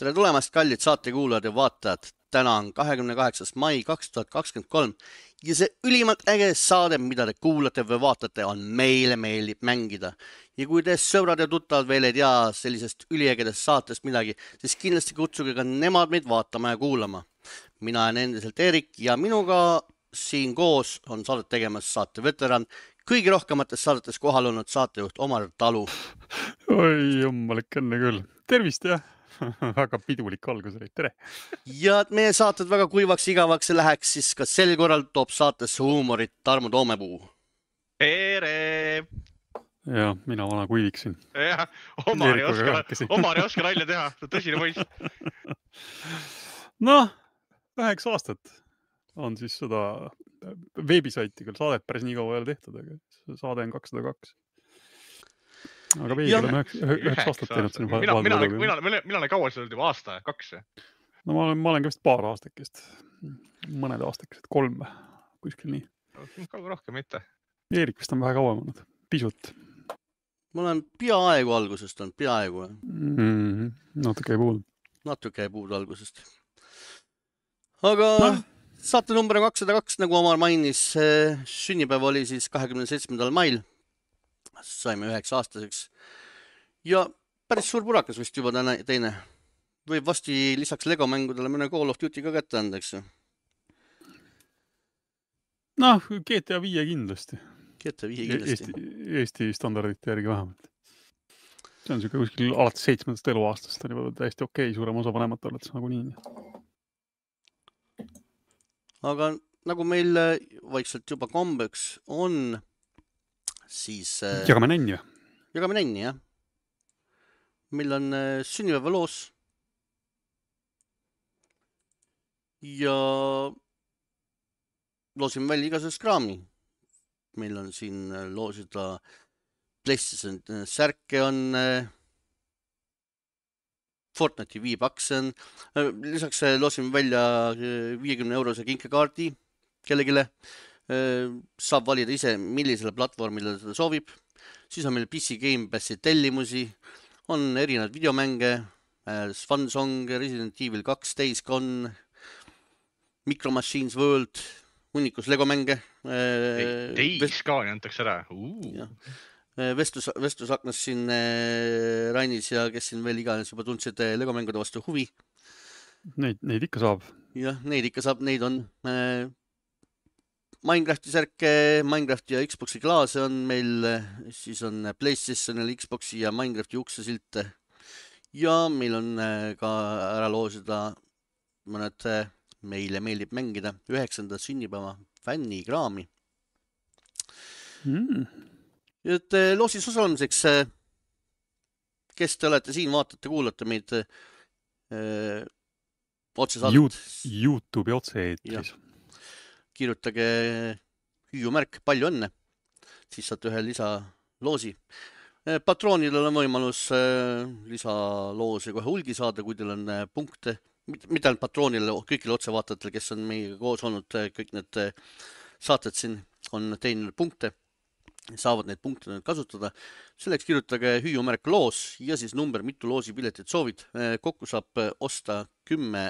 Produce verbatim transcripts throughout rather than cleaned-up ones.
Tere tulemast, kallid saatekuulajad ja vaatajad. Täna on kahekümne kaheksas mai kaks tuhat kakskümmend kolm ja see ülimalt äge saade, mida te kuulate või vaatate, on Meile meeldib mängida. Ja kui te sõbrad ja tuttavad veel ei tea sellisest üliägedest saatest midagi, siis kindlasti kutsuge ka nemad meid vaatama ja kuulama. Mina olen endiselt Erik ja minuga siin koos on saadet tegemas saate veteran, kõigi rohkemates saadetes kohal olnud saatejuht Omar Talu. Oi, jummalik enne küll. Tervist, jah. Väga pidulik algus oli. Tere. Ja et meie saated väga kuivaks igavaks läheks, siis ka sel korral toob saatesse huumorit Tarmo Toomepuu. Tere! Ja, mina vana kuiviksin. Jah, Omar ei oska, Omar ei oska nalja teha. Tõsine poiss. Noh, üheksa aastat on siis seda veebisaiti küll saadet päris nii kaua ei ole tehtud, aga saade on kakssada kaks. Aga veidi oleme üheks aastat teinud siin. Mina, mina, mina, mina, mina olen kaua seda juba aasta, kaks. No ma olen, ma olen ka vist paar aastakest. Mõned aastakest, kolm kuskil nii. Kauga rohkem mitte. Eerik vist on vähe kauem olnud, pisut. Ma olen peaaegu algusest on, peaaegu. Mm-hmm. Natuke ei puudu. Natuke ei puudu algusest. Aga no. Saate number on kakssada kaks, nagu Omar mainis. Sünnipäev oli siis kahekümne seitsmendal mail. Saime üheks aastaseks. Ja päris suur purakas vist juba täna, teine. Võib vasti lisaks Lego mängudele mõne Call of Duty ka kätte andeks. Noh, G T A viis kindlasti. G T A viis kindlasti. Eesti, Eesti standardite järgi vähemalt. See on siuke kuskil alates seitsmendast eluaastast. On juba täiesti okei, suurem osa vanemate oletes nagu nii. Aga nagu meil vaikselt juba kombeks on, siis... Jagame nänni. Jagame nänni, jah. Meil on sünnipäeva loos. Ja loosime välja igasugust kraami. Meil on siin loosida PlayStation särke on Fortnite'i viibakse on. Lisaks loosime välja viiekümne eurose kinkekaardi kellegile. Saab valida ise, millisele platvormile seda soovib. Siis on meil P C Game Passi tellimusi. On erinevad videomänge, Fun Song, Resident Evil kaks, Days Gone, Micro Machines World, hunnikus Lego mänge. Days Gone antakse ära. Vestlus, vestlusaknas siin Rainis ja kes siin veel iganes juba tundsid Lego mängude vastu huvi. Neid, neid ikka saab. Jah, neid ikka saab, neid on. Minecrafti särke, Minecrafti ja Xboxi klaase on meil, siis on PlayStationil, Xboxi ja Minecrafti uksesilte. Ja meil on ka ära loosida mõned Meile meeldib mängida üheksanda sünnipäeva fännikraami. Mm. Et loosis osalemiseks, kes te olete siin, vaatate, kuulate meid öö, otsesaadet. YouTube'i otse-eetris. Kirjutage hüüumärk, palju õnne, siis saate ühe lisaloosi. Patroonidel on võimalus lisaloosi kohe hulgi saada, kui teil on punkte. Mitte ainult patroonile, kõigile otsevaatajatele, kes on meiega koos olnud, kõik need saated siin on teinud punkte. Saavad neid punkte kasutada. Selleks kirjutage hüüumärk loos ja siis number, mitu loosipiletit soovid. Kokku saab osta kümme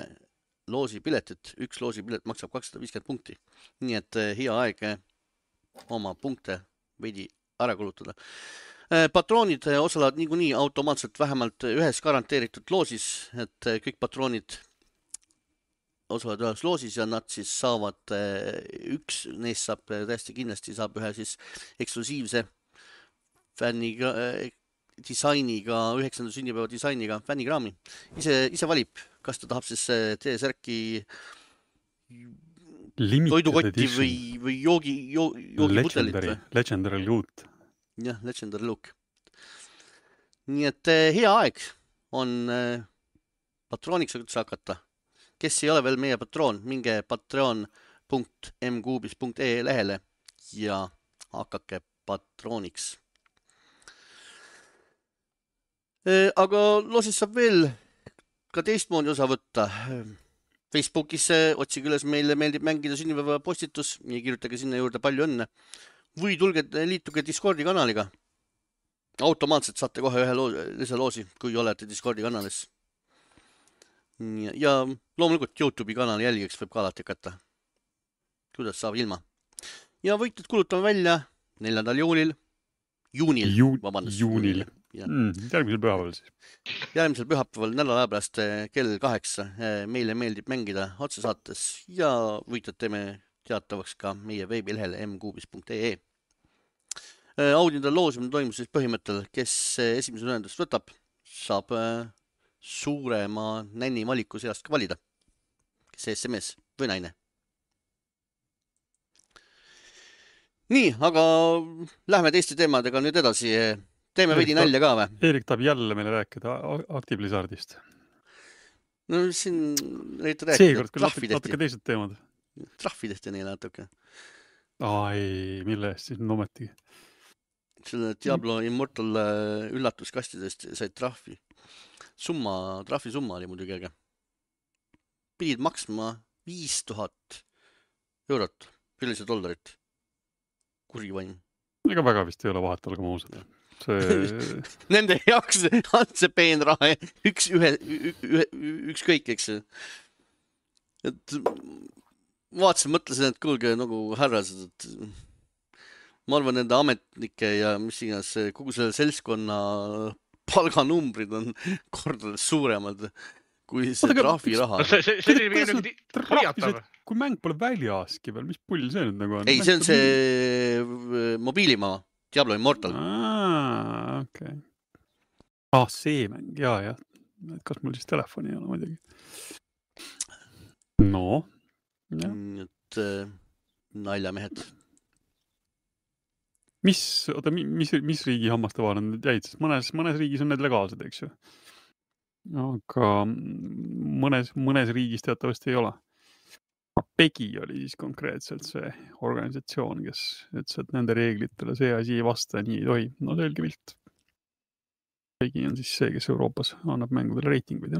loosipiletit. Üks loosipilet maksab kakssada viiskümmend punkti. Nii et hea aeg oma punkte veidi ära kulutada. Patroonid osalevad niikuinii automaatselt vähemalt ühes garanteeritud loosis, et kõik patroonid osalevad ühes loosis ja nad siis saavad, üks neist saab täiesti kindlasti saab ühe siis eksklusiivse fänniga, disainiga, üheksanda sünnipäeva disainiga fännikraami. Ise, ise valib, kas ta tahab siis T-särki toidukotti või, või joogi, joogiputelit. Legendary, legendary loot. Jah, legendary look. Nii et hea aeg on patrooniks hakata. Kes ei ole veel meie patroon, minge patreon punkt m kuubis punkt e e lehele ja hakake patrooniks. Aga loosis saab veel ka teistmoodi osa võtta. Facebookis otsige üles Meile meeldib mängida sünnipäeva postitus ja kirjutage sinna juurde palju õnne. Või tulge liituge Discordi kanaliga. Automaatselt saate kohe ühe loo, lisaloosi, kui olete Discordi kanalis. ja, ja loomulikult YouTube'i kanali jälgiks võib ka alati hakata. Kuidas saab ilma. Ja võitjad kulutame välja neljandal juulil, juunil, Ju, vabandust. juunil. Ja. Mm, järgmisel pühapäeval siis. Järgmisel pühapäeval nädala pärast kell kaheksa. Meile meeldib mängida otsesaates ja võitjad teeme teatavaks ka meie veebilehel m kuubis punkt ee. Audindal loosimine toimus siis põhimõttel, kes esimese ühendust võtab, saab suurema nänni valiku seast ka valida. Kes S M S või naine. Nii, aga lähme teiste teemadega nüüd edasi. Teeme veidi nalja ka või? Eerik tahab jälle meile rääkida Active Blizzardist. No siin räägite rääkida. Seekord küll natuke, natuke teised teemad. Trahvi tehti neile natuke. Ai, mille eest siis nometigi? Selle Diablo Immortal üllatuskastidest said trahvi. Summa, trahvi summa oli muidugi äge. Pidid maksma viis tuhat eurot, üldse dollarit. Kuri vaim. Ega väga vist ei ole vahet, olgem ausad. See... Nende jaoks on see peen raha üks, ühe, ühe, üks kõik, eks. Et vaatasin, mõtlesin, et kuulge nagu härrased, et ma arvan, nende ametnike ja mis iganes kogu selle seltskonna palganumbrid on kordades suuremad kui see trahvi raha. See, see, see oli mingi hoiatav. Kui mäng pole väljaski veel, mis pull see nüüd nagu on? Ei, see on see mobiilimaa. Diablo Immortal. Aa, okei. Okay. Ah, see mäng, jaa, jah. Kas mul siis telefoni ei ole muidugi? No. Et naljamehed. Mis, oota, mis, mis riigi hammaste vahel on need jäid? Mõnes, mõnes riigis on need legaalsed, eks ju? Aga mõnes, mõnes riigis teatavasti ei ole. Pegi oli siis konkreetselt see organisatsioon, kes ütles, et nende reeglitele see asi ei vasta ja nii ei tohi. No selge pilt. Pegi on siis see, kes Euroopas annab mängudele reitinguid.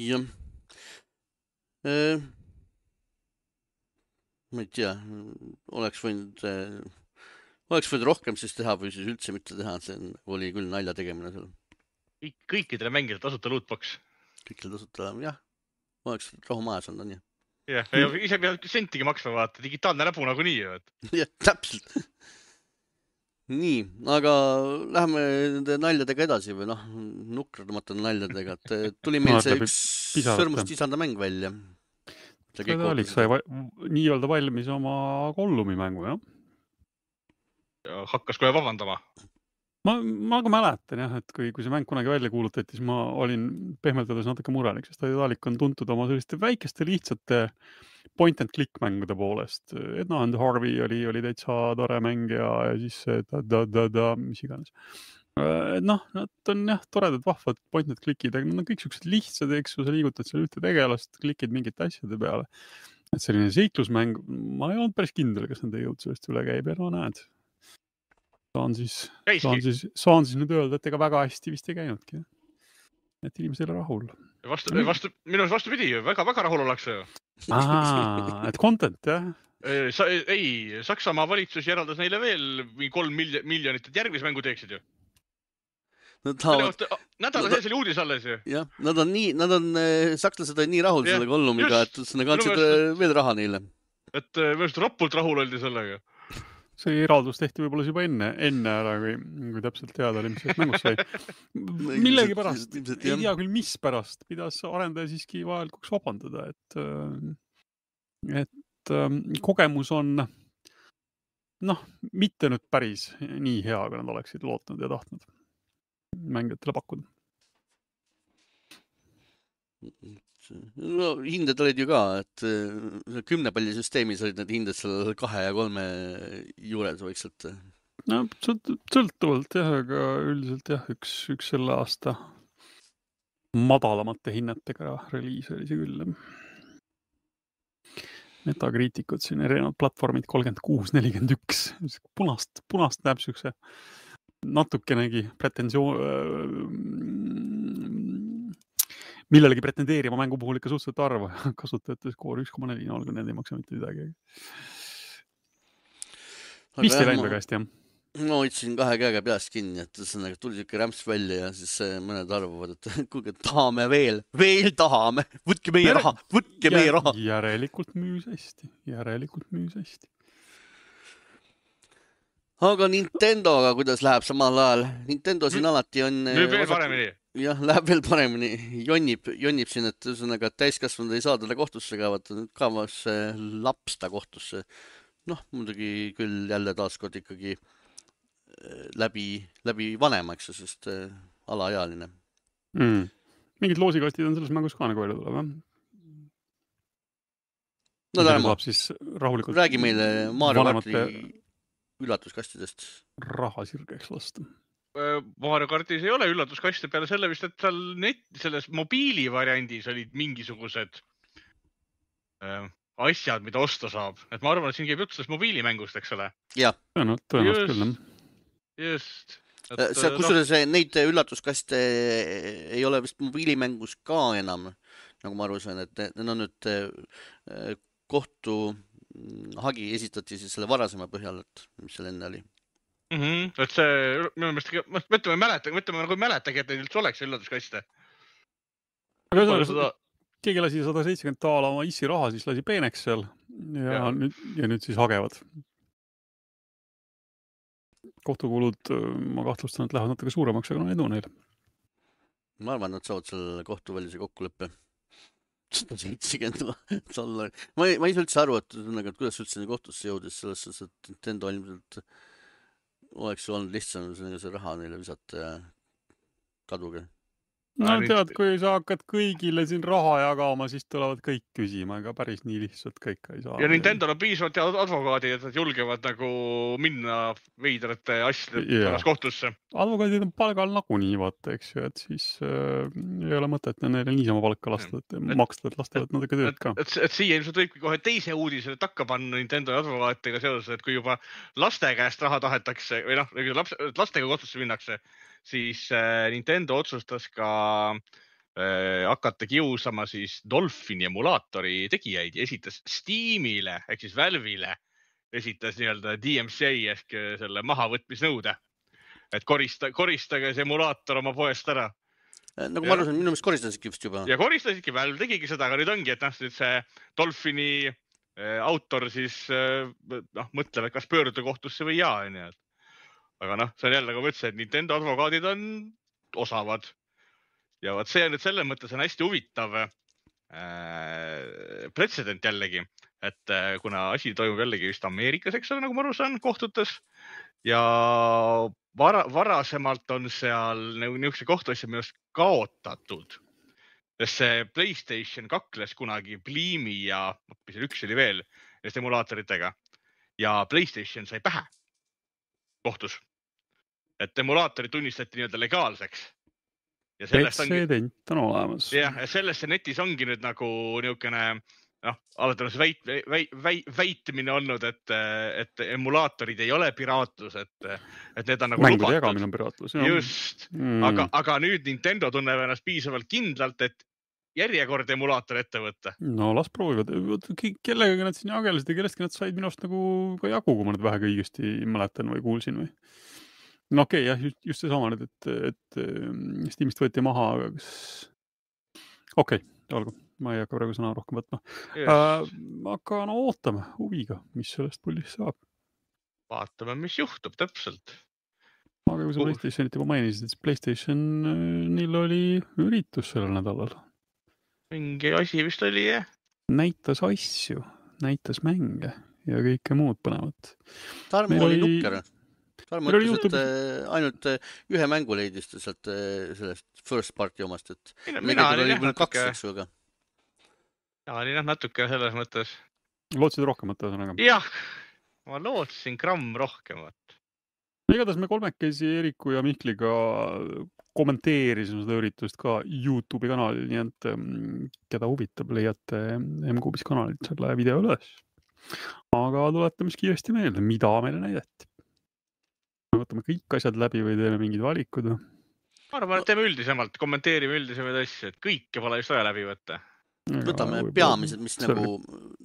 Jah. Äh, ma ei tea, oleks võinud, äh, oleks võinud rohkem siis teha või siis üldse mitte teha. See oli küll nalja tegemine seal. Kõikidele mängida tasuta lootbox. Kõikidele tasuta, jah. Oleks rahu majas on, on jah. Jah, ja ise peab sentigi maksma vaata. Digitaalne näpu nagu nii. Jah, täpselt. Nii, aga lähme nende naljadega edasi või noh, nukradamata naljadega. Tuli meil see üks sõrmust isanda mäng välja. See oli sai nii-öelda valmis oma Gollumi mängu, jah? Ja hakkas kohe vabandama. Ma, ma ka mäletan jah, et kui, kui see mäng kunagi välja kuulutati, siis ma olin pehmeldades natuke murelik, sest Daedalic on tuntud oma selliste väikeste lihtsate point and click mängude poolest. Edna and Harvey oli, oli täitsa tore mäng ja, ja siis da, da, da, da, mis iganes. Noh, nad on jah, toredad, vahvad point and clickid, aga nad on kõik sellised lihtsad, eks ju, sa liigutad seal ühte tegelast, klikid mingite asjade peale. Et selline seiklusmäng, ma ei olnud päris kindel, kas nende jõud sellest üle käib ja no näed. Saan siis, saan, siis, saan siis nüüd öelda, et ega väga hästi vist ei käinudki. Et inimesed ei ole rahul. Vastu, vastu, minus vastu pidi, väga, väga rahul ollakse. Aa, et content, jah? Sa, ei, Saksamaa valitsus järeldas neile veel kolm miljonit, et järgmise mängu teeksid ju. Nad tahavad... Nädala sees oli uudis alles ju. Jah, nad on nii, nad on, sakslased on nii rahul ja, selle Gollumiga, et nad kandsid veel raha neile. Et minu arust rapult rahul oldi sellega. See eraldus tehti võib-olla juba enne, enne ära, kui, kui täpselt teada oli, mis sellest mängust sai. Millegi pärast, ei tea küll, mis pärast, pidas arendaja siiski vajalikuks vabandada, et, et kogemus on noh, mitte nüüd päris nii hea, kui nad oleksid lootnud ja tahtnud mängijatele pakkuda. No hinded olid ju ka, et kümnepallisüsteemis olid need hinded seal kahe ja kolme juures vaikselt. No sõltuvalt jah, aga üldiselt jah, üks, üks selle aasta madalamate hinnetega reliis oli see küll. Metacriticud siin erinevad platvormid kolmkümmend kuus nelikümmend üks. Punast, punast näeb sükse natukenegi pretensioon millelegi pretendeerima mängu puhul ikka suhteliselt arva kasutajate skoor üks koma neli, olgu need ei maksa mitte midagi. Vist ei läinud väga hästi, jah? ma hoidsin kahe käega peast kinni, et ühesõnaga tuli siuke rämps välja ja siis mõned arvavad, et kuulge, tahame veel, veel tahame, võtke meie raha, võtke meie raha. Järelikult müüs hästi, järelikult müüs hästi. Aga Nintendoga, kuidas läheb samal ajal? Nintendo siin alati on... Nüüd veel paremini. Jah, läheb veel paremini. Jonnib, jonnib siin, et ühesõnaga täiskasvanud ei saa talle kohtusse kaevata. Nüüd kaevas laps ta kohtusse. Noh, muidugi küll jälle taaskord ikkagi läbi, läbi vanema, eks, sest alaealine. Mm. Mingid loosikastid on selles mängus ka nagu välja tuleb, jah? No Tarmo, siis rahulikult räägi meile Mario Karti üllatuskastidest. Raha sirgeks lasta. Mario Kartis ei ole üllatuskaste peale selle vist, et seal net, selles mobiili variandis olid mingisugused äh, asjad, mida osta saab. Et ma arvan, et siin käib jutt sellest mobiilimängust, eks ole? Jah. No, tõenäoliselt küll. Just. Et, see, kusjuures no... neid üllatuskaste ei ole vist mobiilimängus ka enam, nagu ma aru sain, et need on nüüd kohtu hagi esitati siis selle varasema põhjal, et mis seal enne oli. Mm-hmm. Et see, minu meelest, mõtleme mäleta, mõtleme nagu mäletagi, et neil üldse oleks üllatuskaste. Aga seda... keegi lasi sada seitsekümmend taala oma issi raha, siis lasi peeneks seal ja, ja. Nüüd, ja nüüd siis hagevad. Kohtukulud, ma kahtlustan, et lähevad natuke suuremaks, aga no edu neil. Ma arvan, et saavad selle kohtuvälise kokkuleppe. sada seitsekümmend dollari. Ma ei, ma ei saa üldse aru, et, et kuidas üldse kohtusse jõudis selles, et Nintendo ilmselt oleks olnud lihtsam see raha neile visata ja kaduge. No tead, kui sa hakkad kõigile siin raha jagama, siis tulevad kõik küsima, aga päris nii lihtsalt kõik ei saa. Ja Nintendo on piisavalt advokaadid, et nad julgevad nagu minna veidrate asjade pärast kohtusse. Advokaadid on palgal nagunii, vaata, eks ju, et siis äh, ei ole mõtet neile niisama palka lasta, et maksta, et lasta, et natuke tööd ka. Et, et, et siia ilmselt võibki kohe teise uudise takka panna Nintendo advokaatidega seoses, et kui juba laste käest raha tahetakse, või noh, laps, lastega kohtusse minnakse, siis äh, Nintendo otsustas ka äh, hakata kiusama siis Dolphini emulaatori tegijaid ja esitas Steamile ehk siis Valve'ile esitas nii-öelda D M C A ehk selle mahavõtmisnõude, et korista, koristage see emulaator oma poest ära. Nagu ma arvasin, minu meelest koristasidki vist juba. Ja koristasidki, Valve tegigi seda, aga nüüd ongi, et noh, see Dolphini äh, autor siis äh, noh, mõtleb, et kas pöörduda kohtusse või jaa, nii et aga noh, see on jälle, nagu ma ütlesin, et Nintendo advokaadid on osavad. Ja vaat see on nüüd selles mõttes on hästi huvitav äh, pretsedent jällegi, et äh, kuna asi toimub jällegi vist Ameerikas, eks ole, nagu ma aru saan, kohtutes. Ja vara, varasemalt on seal niisuguse kohtuasja minust kaotatud. Sest see PlayStation kakles kunagi Bleemi ja üks oli veel emulaatoritega. Ja PlayStation sai pähe kohtus. Et emulaatorid tunnistati nii-öelda legaalseks. Ja pretsedent on olemas. Jah, ja sellest see netis ongi nüüd nagu niisugune, noh, alati on see väit, väit, väit, väitmine olnud, et, et emulaatorid ei ole piraatlus, et, et need on nagu mängude lubatud. Jagamine on piraatlus. Just, mm. aga, aga nüüd Nintendo tunneb ennast piisavalt kindlalt, et järjekord emulaator ette võtta. No las proovivad. Kellega nad siin jagelesid ja kellestki nad said minust nagu ka jagu, kui ma nüüd vähega õigesti mäletan või kuulsin või. No okei, okay, jah, just, just see sama nüüd, et, et Steamist võeti maha, aga kas... Okei, okay, olgu, ma ei hakka praegu sõna rohkem võtma. Yes. Äh, aga no ootame huviga, mis sellest pullist saab. Vaatame, mis juhtub täpselt. Aga kui sa uh. PlayStationit juba mainisid, siis PlayStation neil oli üritus sellel nädalal. Mingi asi vist oli, jah? Näitas asju, näitas mänge ja kõike muud põnevat. Tarmo oli nukker. Tarmo ütles, YouTube... et ainult ühe mängu leidis sealt sellest first party omast, et mina, mina oli jah natuke... kaks, eks ju, aga. Ja oli jah natuke selles mõttes. Lootsid rohkemat ühesõnaga? Jah, ma lootsin gramm rohkemat. Igatahes me kolmekesi Eriku ja Mihkliga kommenteerisime seda üritust ka YouTube'i kanalil, nii et keda huvitab, leiate M-Kuubis kanalit selle video üles. Aga tuletame siis kiiresti meelde, mida meile näidati. Me võtame kõik asjad läbi või teeme mingid valikud? Ma arvan, et teeme üldisemalt, kommenteerime üldisemaid asju, et kõike pole just vaja läbi võtta. Võtame peamised, mis nagu,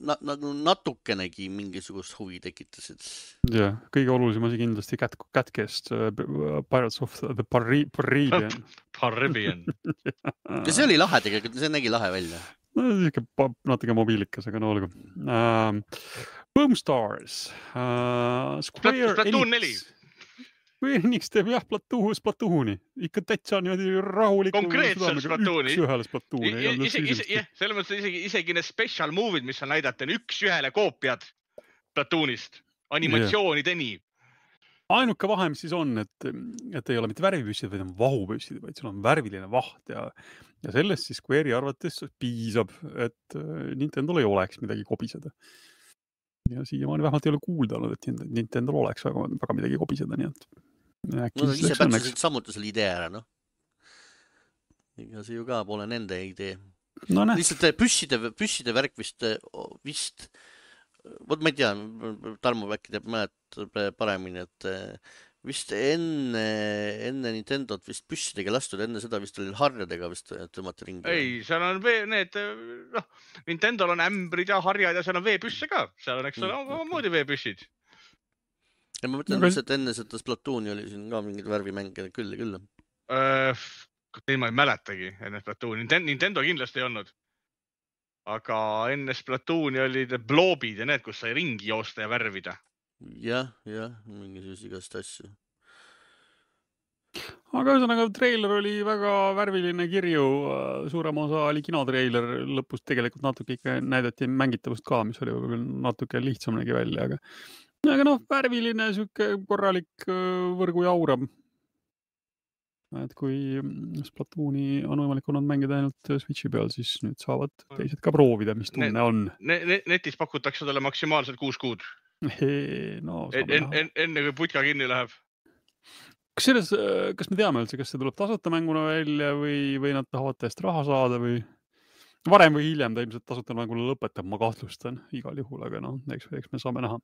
na, nagu natukenegi mingisugust huvi tekitasid. Jah, kõige olulisem asi kindlasti Cat, Catcast, uh, Pirates of the Caribbean. Caribbean. Ja see oli lahe tegelikult, see nägi lahe välja. No, natuke mobiilikas, aga no olgu. Uh, Boomstars, uh, Square Splatoon neli. Square Enix teeb jah Splatoon, Splatooni. Ikka täitsa niimoodi rahuliku. Konkreetselt Splatooni. Üks ühele Splatooni. Selles mõttes isegi, isegi need special move'id, mis on näidata, on üks ühele koopiad Splatoonist. Animatsioonideni. Ainuke vahe, mis siis on, et, et ei ole mitte värvipüssid, vaid on vahupüssid, vaid sul on värviline vaht ja, ja sellest siis Square'i arvates piisab, et Nintendol ei oleks midagi kobiseda. Ja siiamaani vähemalt ei ole kuulda olnud, et Nintendol oleks väga, väga midagi kobiseda, nii et äkki no, ise pätsusid samuti selle idee ära, noh. Ega see ju ka pole nende idee. No, lihtsalt püsside, püsside värk vist, vist vot ma ei tea, Tarmo äkki teab mäletab paremini, et vist enne, enne Nintendot vist püssidega lastud, enne seda vist oli harjadega vist tõmmata ringi. Ei, seal on vee, need, noh, Nintendol on ämbrid ja harjad ja seal on veepüsse ka. Seal on, eks ole, mm, moodi veepüssid. Ja ma mõtlen, no, et enne seda Splatooni oli siin ka mingid värvimänge küll ja küll. Äh, Teil ma ei mäletagi enne Splatooni. Nintendo kindlasti ei olnud. Aga enne Splatooni olid bloobid ja need, kus sai ringi joosta ja värvida. Jah, jah, mingisugust igast asju. Aga ühesõnaga treiler oli väga värviline kirju, suurem osa oli kinotreiler, lõpus tegelikult natuke ikka näidati mängitavust ka, mis oli natuke lihtsam nägi välja, aga, aga noh, värviline süke korralik võrgu jauram. Et kui Splatooni on võimalik olnud mängida ainult Switchi peal, siis nüüd saavad teised ka proovida, mis tunne ne, on. Ne, netis pakutakse talle maksimaalselt kuus kuud. No, en, en, en, enne kui putka kinni läheb. Kas, selles, kas me teame üldse, kas see tuleb tasuta mänguna välja või, või nad tahavad täiesti raha saada või varem või hiljem ta ilmselt tasuta mänguna lõpetab, ma kahtlustan igal juhul, aga noh, eks, eks me saame näha.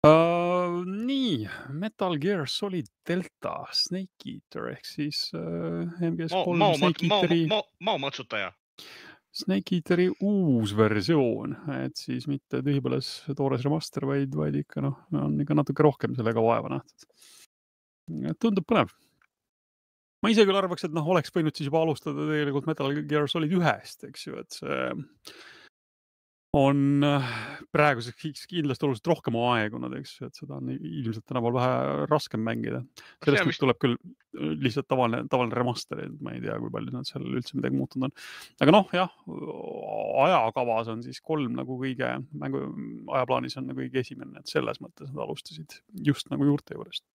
Uh, nii, Metal Gear Solid Delta Snake Eater ehk siis uh, M G S kolm Snake Eateri maaomatsutaja. Snake Eateri uus versioon, et siis mitte tühipõles toores remaster, vaid, vaid ikka noh, on ikka natuke rohkem sellega vaeva nähtud. Tundub põnev. Ma ise küll arvaks, et noh, oleks võinud siis juba alustada tegelikult Metal Gear Solid ühest, eks ju, et see on praeguseks kindlasti oluliselt rohkem aegunud, eks ju, et seda on ilmselt tänapäeval vähe raskem mängida. Sellest mis... tuleb küll lihtsalt tavaline, tavaline remaster, et ma ei tea, kui palju nad seal üldse midagi muutunud on. Aga noh, jah, ajakavas on siis kolm nagu kõige, mängu ajaplaanis on nagu kõige esimene, et selles mõttes nad alustasid just nagu juurte juurest.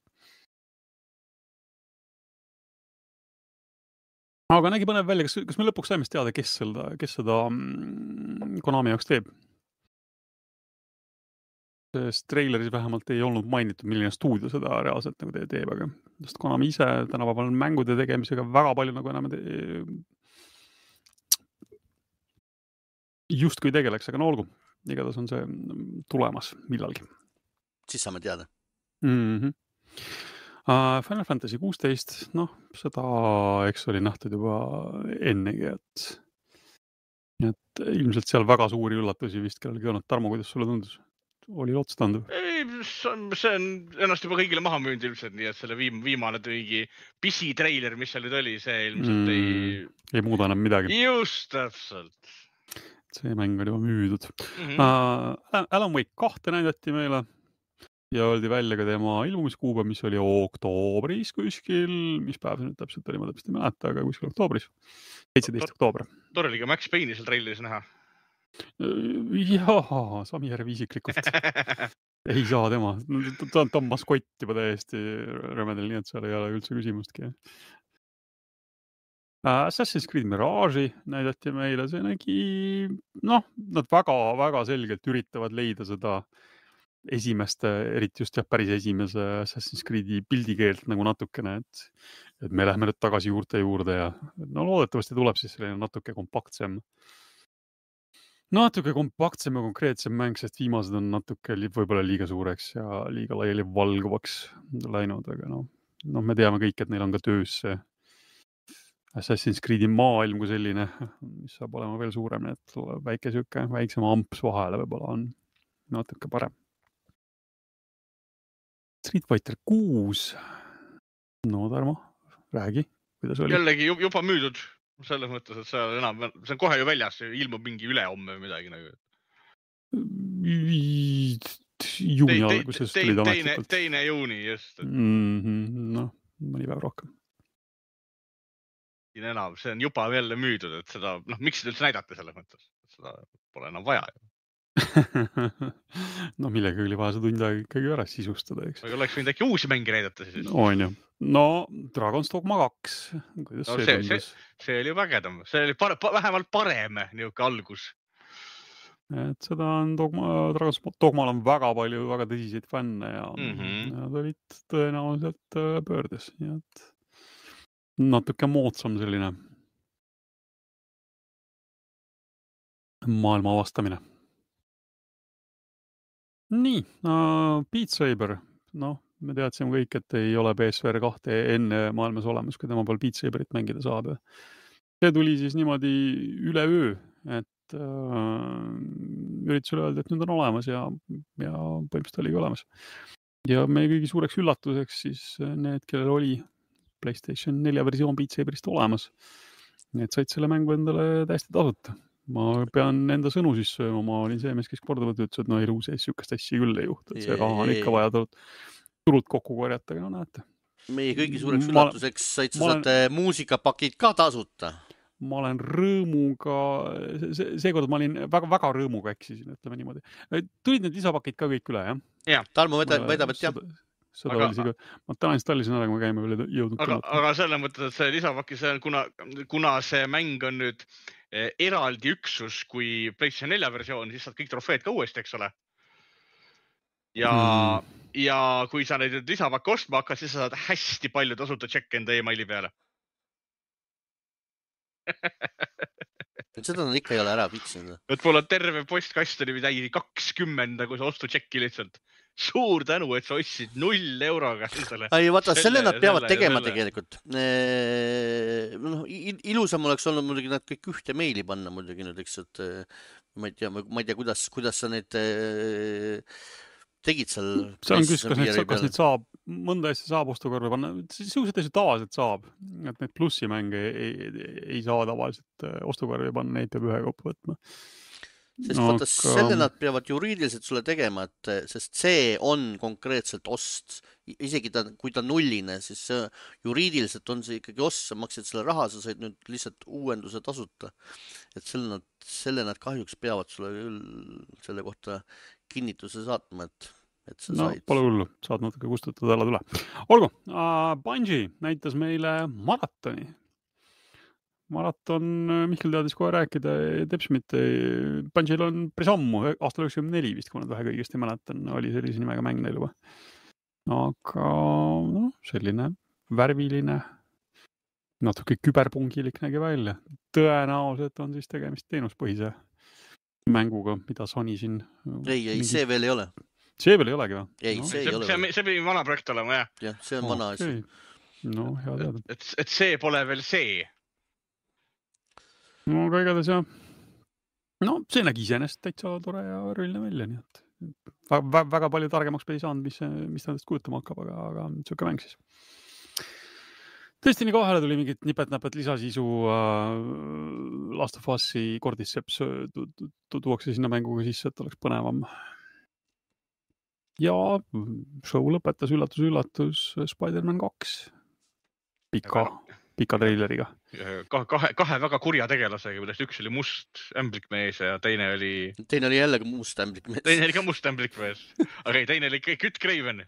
Aga nägi põnev välja, kas, kas me lõpuks saime teada, kes seda, kes seda Konami jaoks teeb? Sest treileris vähemalt ei olnud mainitud, milline stuudio seda reaalselt nagu teeb, aga just Konami ise tänapäeval mängude tegemisega väga palju nagu enam te... just kui tegeleks, aga no olgu, igatahes on see tulemas millalgi. Siis saame teada. Mhm. Uh, Final Fantasy kuusteist, noh, seda eks oli nähtud juba ennegi, et, et ilmselt seal väga suuri üllatusi vist kellelgi olnud. Tarmo, kuidas sulle tundus? Oli otstanduv? Ei, see on ennast juba kõigile maha müünud ilmselt, nii et selle viim, viimane tüügi pisi treiler, mis seal nüüd oli, see ilmselt mm, ei... Ei muuda enam midagi. Just täpselt. See mäng oli juba müüdud. Mm-hmm. Uh, Alan Wake kahte näidati meile. Ja oldi välja ka tema ilmumiskuuba, mis oli oktoobris kuskil, mis päev see nüüd täpselt oli, ma täpselt ei mäleta, aga kuskil oktoobris, seitseteist oktoober. Tore oli ka Max Payne'i seal treileris näha. Jaa, Sami Järvi isiklikult. Ei saa tema, ta, ta on maskott juba täiesti rõmedel, nii et seal ei ole üldse küsimustki. Assassin's Creed Mirage'i näidati meile, see nägi, noh, nad väga, väga selgelt üritavad leida seda esimeste, eriti just jah, päris esimese Assassin's Creed'i pildikeelt nagu natukene, et, et me lähme nüüd tagasi juurte juurde ja no loodetavasti tuleb siis selline natuke kompaktsem natuke kompaktsem ja konkreetsem mäng, sest viimased on natuke võib-olla liiga suureks ja liiga laiali valguvaks läinud, aga noh, no, me teame kõik, et neil on ka töös see Assassin's Creed'i maailm kui selline, mis saab olema veel suurem, et väike süke, väiksem amps vahele võib-olla on natuke parem. Street Fighter kuus. No Tarmo, räägi, kuidas oli? Jällegi juba müüdud selles mõttes, et see on, enam, see on kohe ju väljas, ilmub mingi ülehomme või midagi nagu. Juuni alguses tulid ametlikult. Teine juuni, just. Mm-hmm, no, mõni päev rohkem. Enam, see on juba jälle müüdud, et seda, noh, miks seda üldse näidata selles mõttes? Seda pole enam vaja. No millega oli vaja see tund aega ikkagi ära sisustada, eks? Aga oleks võinud äkki uusi mänge näidata siis. On ju. No, Dragon's Dogma kaks. Kuidas no, see, see, see, see oli vägedam. See oli pare, vähemalt parem niuke algus. Et seda on Dogma, Dragon's Dogmal on väga palju väga tõsiseid fänne ja mm-hmm. nad olid tõenäoliselt pöördes. Nii et natuke moodsam selline maailma avastamine. Nii, uh, Beat Saber. No, me teadsime kõik, et ei ole P S V R kahte enne maailmas olemas, kui tema pool Beat Saberit mängida saab. See tuli siis niimoodi üle öö, et uh, üritusele öelda, et nüüd on olemas ja, ja põhimõtteliselt oligi olemas. Ja meie kõigi suureks üllatuseks siis need, kellel oli PlayStation nelja versioon Beat Saberist olemas. Need said selle mängu endale täiesti tasuta. Ma pean enda sõnu siis sööma, ma olin see mees, kes korduvalt ütles, et no elu sees sükast asja küll ei juhtu, et see raha on ikka vaja tulud, tulud kokku korjata, aga no näete. Meie kõigi suureks ma, üllatuseks said sa olen, muusikapakid ka tasuta. Ma olen rõõmuga, see, seekord ma olin väga, väga rõõmuga eksisin, ütleme niimoodi. Tulid need lisapakid ka kõik üle, jah? Ja, Tarmo väidab, et jah. Seda aga, oli siga, ma täna installisin ära, kui me käime üle jõudnud. Aga, aga selle mõttes, et see lisapaki, see on, kuna, kuna see mäng on nüüd eh, eraldi üksus kui PlayStation nelja versioon, siis saad kõik trofeed ka uuesti, eks ole. Ja, mm. ja kui sa neid lisapakki ostma hakkad, siis sa saad hästi palju tasuta tšekke enda e-maili peale. Seda nad ikka ei ole ära vitsinud. Et mul on terve postkast oli täidi kakskümmend, kui sa ostu tšekki lihtsalt. Suur tänu, et sa ostsid null euroga. Ei, vaata, selle nad peavad selle, tegema selle. Tegelikult. No, ilusam oleks olnud muidugi nad kõik ühte meili panna muidugi nüüd, eks, et ma ei tea, ma ei tea, kuidas, kuidas sa neid tegid seal. See on küsis, kas neid, kas neid saab, mõnda asja saab ostukorvi panna. Siuksed asjad tavaliselt saab, et neid plussimänge ei, ei, ei saa tavaliselt ostukorvi panna, neid peab ühe kaupa võtma. Sest no, vaata, selle nad peavad juriidiliselt sulle tegema, et, sest see on konkreetselt ost. Isegi ta, kui ta nulline, siis see, juriidiliselt on see ikkagi ost, sa maksid selle raha, sa said nüüd lihtsalt uuenduse tasuta. Et selle nad, selle nad kahjuks peavad sulle küll selle kohta kinnituse saatma, et, et sa no, said. Pole hullu, saad natuke kustutada alla tule. Olgu, uh, Bungie näitas meile maratoni. Maraton, Mihkel teadis kohe rääkida, Tepsmit, Bungiel on päris ammu, aastal üheksakümmend neli vist, kui nad vähe kõigest ei mäletan, oli sellise nimega mäng neil juba. Aga no, selline värviline, natuke küberpungilik nägi välja. Tõenäoliselt on siis tegemist teenuspõhise mänguga, mida Sony siin... Ei, ei, mingi... see veel ei ole. See veel ei olegi või? Ei, no. see ei see, ole. See, see pidi vana projekt olema, jah. Jah, see on oh, vana asi. Okay. No, hea teada. Et, et, et see pole veel see. No, aga igatahes jah. No, see nägi iseenest täitsa tore ja rõlne välja, nii et väga, väga palju targemaks ei saanud, mis, mis ta endast kujutama hakkab, aga, aga siuke mäng siis. Tõesti nii kohale tuli mingit nipet-näpet lisasisu uh, Last of Us'i Cordyceps tuuakse sinna mänguga sisse, et oleks põnevam. Ja show lõpetas üllatus-üllatus Spider-Man kaks. Pika, pika treileriga. Kahe, kahe väga kurja tegelasega, millest üks oli must ämblikmees ja teine oli... Teine oli jällegi must ämblikmees. Teine oli ka must ämblikmees. Aga ei, teine oli Kütt Craven.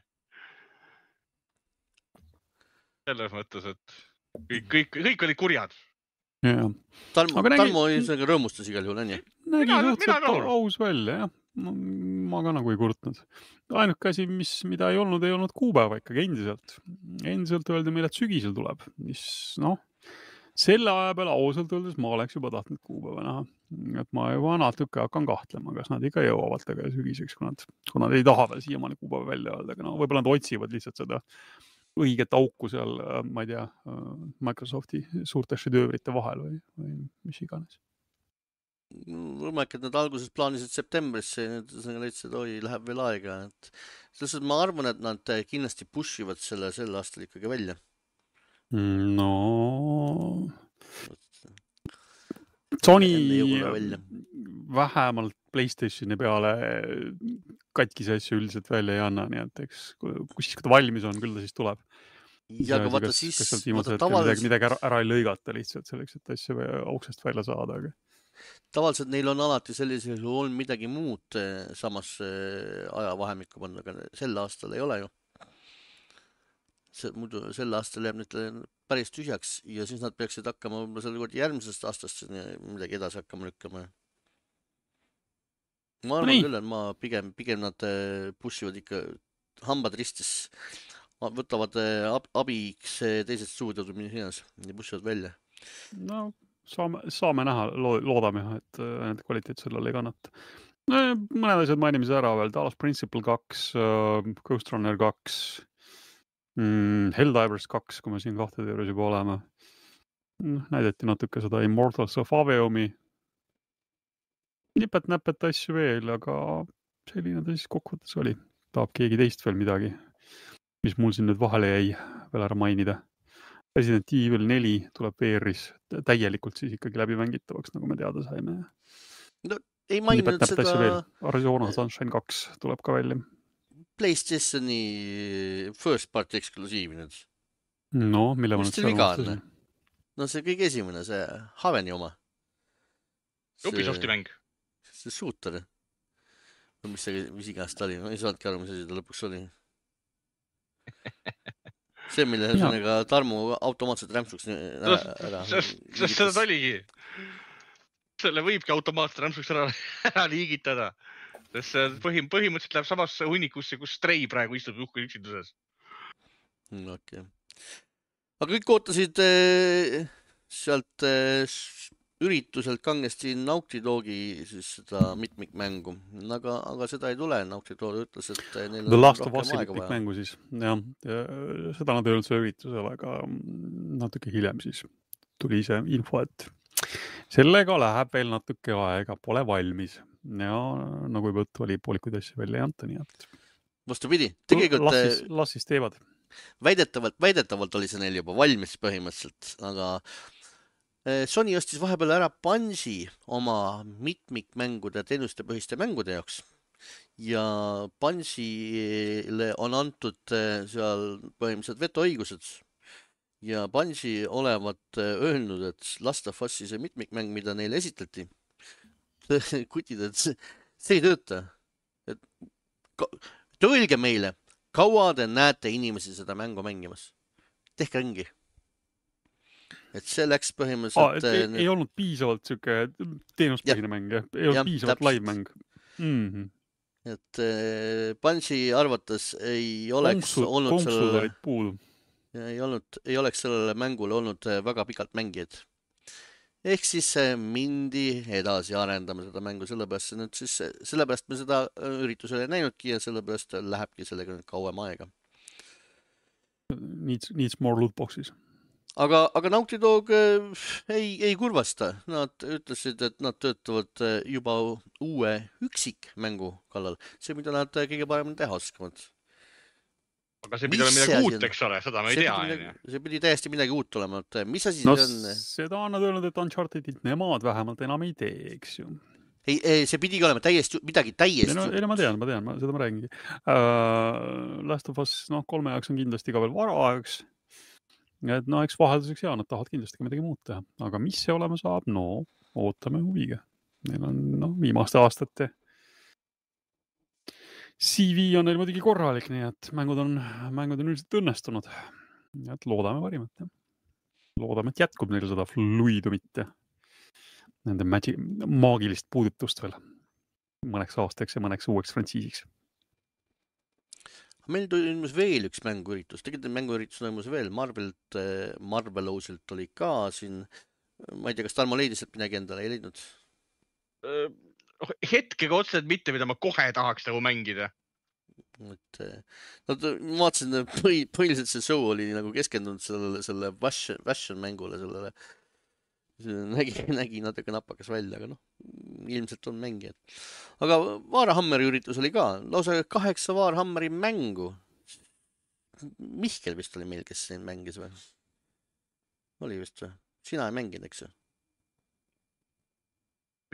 Selles mõttes, et kõik, kõik, kõik olid kurjad. Yeah. Talmo, nägi... Talmo oli rõõmustas igal juhul, on ju? Nägi suhteliselt aus välja, jah. Ma ka nagu ei kurtnud. Ainuke asi, mis, mida ei olnud, ei olnud kuupäeva ikkagi endiselt. Endiselt öeldi meile, et sügisel tuleb. Mis, noh, selle aja peale ausalt öeldes ma oleks juba tahtnud kuupäeva näha. Et ma juba natuke hakkan kahtlema, kas nad ikka jõuavad taga sügiseks, kui nad, kui nad ei taha veel siiamaani kuupäeva välja öelda. Aga no, võib-olla nad otsivad lihtsalt seda õiget auku seal, ma ei tea, Microsofti suurte šedöövrite vahel või, või mis iganes. Võimalik, et nad alguses plaanisid septembrisse ja nüüd leidsid, oi, läheb veel aega. Et selles ma arvan, et nad kindlasti pushivad selle sel aastal ikkagi välja. No Sony vähemalt PlayStationi peale katkise asju üldiselt välja ei anna, nii et eks kui siis, kui ta valmis on, küll ta siis tuleb. Ja aga vaata kas, siis... Kas sealt viimased hetkel midagi, midagi ära, ära ei lõigata lihtsalt selleks, et asju auksest välja saada. Aga... Tavaliselt neil on alati sellisel olnud midagi muud samas ajavahemikku panna, aga sel aastal ei ole ju. See, muidu sel aastal jääb nüüd päris tühjaks ja siis nad peaksid hakkama selle kord järgmisest aastast midagi edasi hakkama lükkama. Ma arvan küll, et ma pigem, pigem nad pushivad ikka hambad ristis, võtavad ab, abiks teised stuudiod või minnes ja pushivad välja. No saame, saame näha, loodame, et nende kvaliteet sellele ei kannata. No, mõned asjad mainimise ära veel, Talos Principle kaks, Ghost Runner kaks, Mm, Helldivers kaks, kui me siin kahtede juures juba oleme. Näideti natuke seda Immortals of Aveumi. Nipet-näpet asju veel, aga selline ta siis kokkuvõttes oli. Tahab keegi teist veel midagi, mis mul siin nüüd vahele jäi veel ära mainida. Resident Evil neli tuleb V R-is täielikult siis ikkagi läbi mängitavaks, nagu me teada saime. No, ei maininud seda... Arizona Sunshine kaks tuleb ka välja. PlayStationi first party eksklusiiv nüüd. No, mille ma nüüd seal vastasin? No see kõige esimene, see Haveni oma. Ubisofti mäng. See shooter. Mis see, mis iganes ta oli? Ma ei saadki aru, mis asi ta lõpuks oli. See, mille sõnaga Tarmu automaatselt rämpsuks ära. Sest seda ta oligi. Selle võibki automaatselt rämpsuks ära, ära liigitada. Sest põhim, põhimõtteliselt läheb samasse hunnikusse, kus Stray praegu istub uhku üksinduses. No, okay. Aga kõik ootasid eh, sealt eh, ürituselt kangesti Naughty Dogi siis seda mitmikmängu. Aga, aga seda ei tule. Naughty Dog ütles, et neil on The Last of Us mitmikmängu siis. Ja, ja, seda nad ei olnud see üritusel, aga natuke hiljem siis tuli see info, et sellega läheb veel natuke aega, pole valmis. Ja nagu juba õttu oli, poolikuid asju välja ei anta, nii et... Vastupidi, tegelikult... Las siis, las siis teevad. Väidetavalt, väidetavalt oli see neil juba valmis põhimõtteliselt, aga Sony ostis vahepeal ära Bungi oma mitmikmängude, teenuste põhiste mängude jaoks. Ja Bungile on antud seal põhimõtteliselt vetoõigused. Ja Bungi olevat öelnud, et Last of Us'i see mitmikmäng, mida neile esitleti, kutid, et see, see ei tööta. Et, et öelge meile, kaua te näete inimesi seda mängu mängimas? Tehke ringi. Et see läks põhimõtteliselt... Aa, ei, need... ei olnud piisavalt siuke teenuspõhine mäng, jah? Ei olnud ja, piisavalt täpselt. Live mäng. Mm-hmm. Et äh, Bungi arvates ei oleks Konksud, olnud konksud sellele... olid puudu. Ei, olnud, ei oleks sellele mängule olnud väga pikalt mängijad. Ehk siis mindi edasi arendama seda mängu, sellepärast, nüüd siis, sellepärast me seda üritusele ei näinudki ja sellepärast lähebki sellega nüüd kauem aega. Needs, needs more lootboxes. Aga, aga Naughty Dog ei, ei kurvasta. Nad ütlesid, et nad töötavad juba uue üksikmängu kallal. See, mida nad kõige paremini teha oskavad. Aga see pidi olema midagi uut, eks ole, seda me ei tea. Midagi, see pidi täiesti midagi uut olema. Mis asi no, see on? Seda on nad öelnud, et Unchartedit nemad vähemalt enam ei tee, eks ju. Ei, ei, see pidigi olema täiesti, midagi täiesti. Ei, no, ei, no, ma tean, ma tean, ma, seda ma räägingi. Uh, Last of Us, noh, kolme jaoks on kindlasti ka veel varaajaks. Et no, eks vahelduseks ja, nad tahavad kindlasti ka midagi muud teha. Aga mis see olema saab? No, ootame huviga. Neil on, noh, viimaste aastate C V on neil muidugi korralik, nii et mängud on, mängud on üldiselt õnnestunud. Et loodame parimat. Ja. Loodame, et jätkub neil seda fluidumit ja nende magi- maagilist puudutust veel mõneks aastaks ja mõneks uueks frantsiisiks. Meil toimus veel üks mänguüritus. Tegelikult mänguüritus toimus veel. Marvelilt, Marvelosilt oli ka siin. Ma ei tea, kas Tarmo leidis, et midagi endale ei leidnud? Hetkega otseselt mitte, mida ma kohe tahaks nagu mängida. et no, ma vaatasin, põhi, põhiliselt see show oli nagu keskendunud sellele, selle fashion, fashion mängule, sellele nägi, nägi natuke napakas välja, aga noh, ilmselt on mängijad. Aga Vaarahammeri üritus oli ka, lausa kaheksa Vaarhammeri mängu. Mihkel vist oli meil, kes siin mängis või? Oli vist või? Sina ei mänginud, eks ju?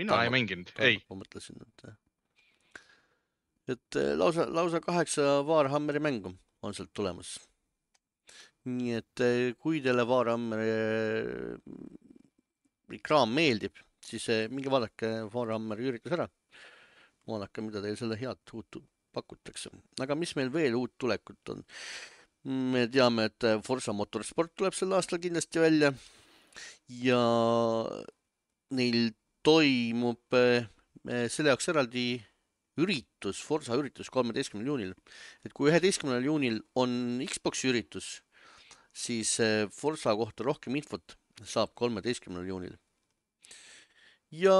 Mina Tarmo, ei mänginud, ei. Ma mõtlesin, et, et lausa, lausa kaheksa Vaarhammeri mängu on sealt tulemas. Nii et kui teile Vaarhammeri kraam meeldib, siis mingi vaadake Vaarhammeri üritus ära. Vaadake, mida teil selle head uut pakutakse. Aga mis meil veel uut tulekut on? Me teame, et Forza Motorsport tuleb sel aastal kindlasti välja ja neil toimub selle jaoks eraldi üritus, Forza üritus kolmeteistkümnendal juunil. Et kui üheteistkümnendal juunil on Xboxi üritus, siis Forza kohta rohkem infot saab kolmeteistkümnendal juunil. Ja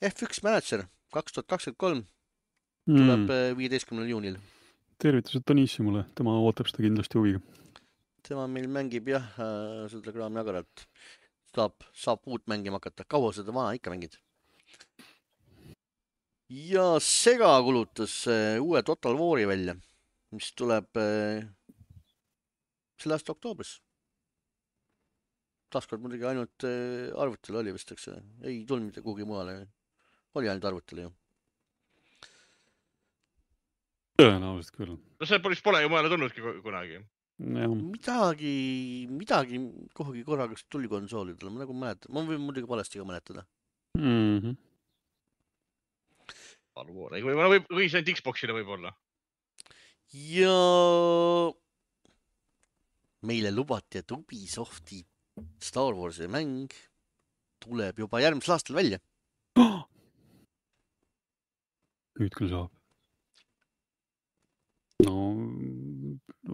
F üks Manager kaks tuhat kakskümmend kolm tuleb mm. viieteistkümnendal juunil. Tervitused Tonissimule, tema ootab seda kindlasti huviga. Tema meil mängib jah, seda reklaami agaralt. Saab, saab uut mängima hakata. Kaua seda vana ikka mängid? Ja Sega kulutas uue Total War'i välja, mis tuleb selle aasta oktoobris. Taaskord muidugi ainult arvutil oli vist, eks ei tulnud mitte kuhugi mujale. Oli ainult arvutil ju. Tõenäoliselt küll. No see polis pole ju mujale tulnudki kunagi. Ja. Midagi, midagi kuhugi korraga tuli konsoolidele, ma nagu mäletan. Ma võin muidugi valesti ka mäletada. Mm-hmm. Või, või, või see ainult Xboxile võib olla? Ja meile lubati, et Ubisofti Star Warsi mäng tuleb juba järgmisel aastal välja. Oh! Nüüd küll saab. No,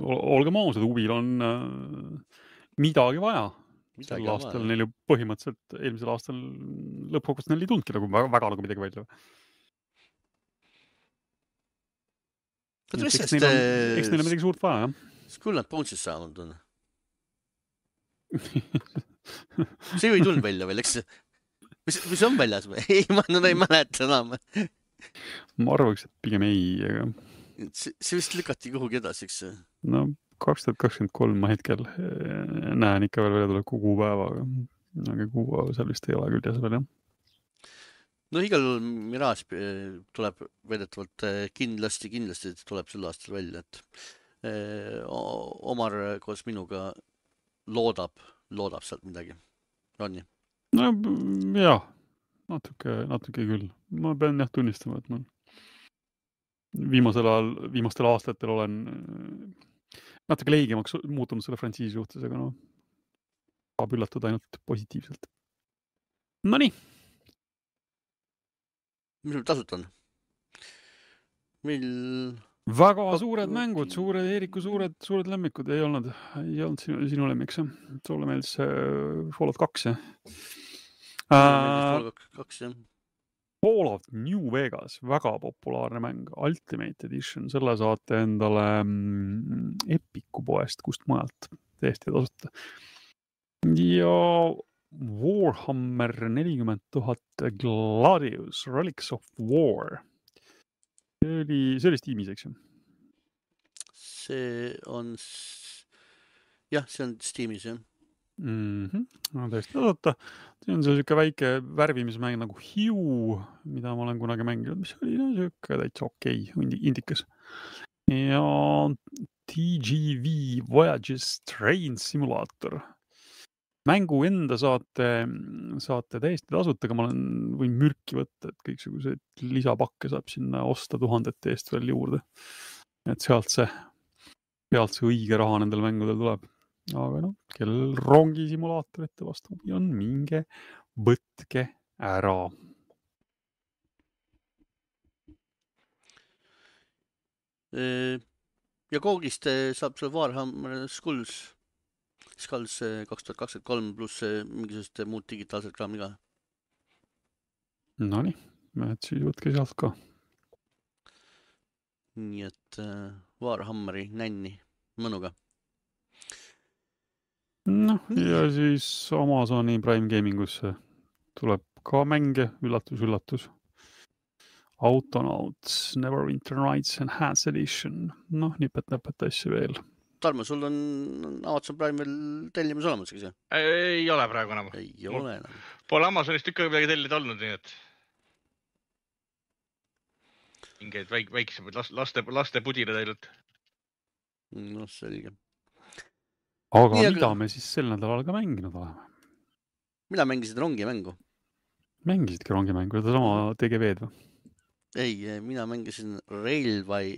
olgem ausad, Ubil on äh, midagi vaja. Midagi Sel aastal vaja. Neil ju põhimõtteliselt eelmisel aastal lõppkokkuvõttes neil ei tundki nagu väga, väga nagu midagi välja. Et, eks, neil on, eks neil on midagi suurt vaja, jah? Skull nad Bones'is saanud on. See ju ei tulnud välja veel, eks? Mis, mis on väljas või? Ei, ma no, ei mäleta enam. Ma arvaks, et pigem ei, aga... See, see vist lükati kuhugi edasi, eks? No kaks tuhat kakskümmend kolm ma hetkel näen ikka veel välja tuleb kuupäeva, aga kuupäeva seal vist ei ole küll jäs veel, jah. No igal Mirage tuleb vedetavalt kindlasti, kindlasti tuleb sel aastal välja, et Omar koos minuga loodab, loodab sealt midagi. On nii? No jah, natuke, natuke küll. Ma pean jah tunnistama, et ma viimasel ajal, viimastel aastatel olen natuke leigemaks muutunud selle frantsiisi suhtes, aga no saab üllatada ainult positiivselt. No nii. Mis meil tasut on? Meil... Väga suured mängud, suured Eeriku suured, suured lemmikud ei olnud, ei olnud sinu, sinu lemmiks. Sulle meeldis Fallout kaks, jah? Fallout kaks, jah. Fallout New Vegas, väga populaarne mäng, Ultimate Edition, selle saate endale Epiku poest, kust majalt täiesti tasuta. Ja Warhammer nelikümmend tuhat Gladius, Relics of War. See oli, see oli Steamis, eks ju? See on, jah, see on Steamis, jah. Mm-hmm. No, täiesti tasuta. See on selline väike värvimismäng nagu Hue, mida ma olen kunagi mänginud, mis oli no, selline täitsa okei, indikas. Ja T G V Voyages Train Simulator. Mängu enda saate, saate täiesti tasuta, aga ma olen, võin mürki võtta, et kõiksuguseid lisapakke saab sinna osta tuhandete eest veel juurde. Et sealt see, sealt see õige raha nendel mängudel tuleb. Aga noh, kellel rongisimulaatorite vastu on minge võtke ära. Ja koogist saab seal Warhammer Skulls, Skulls kaks tuhat kakskümmend kolm pluss mingisugust muud digitaalset kraami ka. No nii, et siis võtke sealt ka. nii et äh, Warhammeri nänni mõnuga. Noh, Nii. ja siis Amazoni Prime Gamingusse tuleb ka mänge, üllatus, üllatus. Autonauts, Neverwinter Nights Enhanced Edition. Noh, nipet-näpet asju veel. Tarmo, sul on Amazon Prime'il tellimus olemas, eks ju? Ei ole praegu enam. Ei ole enam. Pole Amazonist ikka midagi tellida olnud, nii et mingeid väik väiksemaid laste, laste pudina teinud. No selge. Aga Nii, mida aga... me siis sel nädalal ka mänginud oleme? Mina mängisid rongimängu. Mängisidki rongimängu, seda sama T G V-d või? Ei, mina mängisin Railway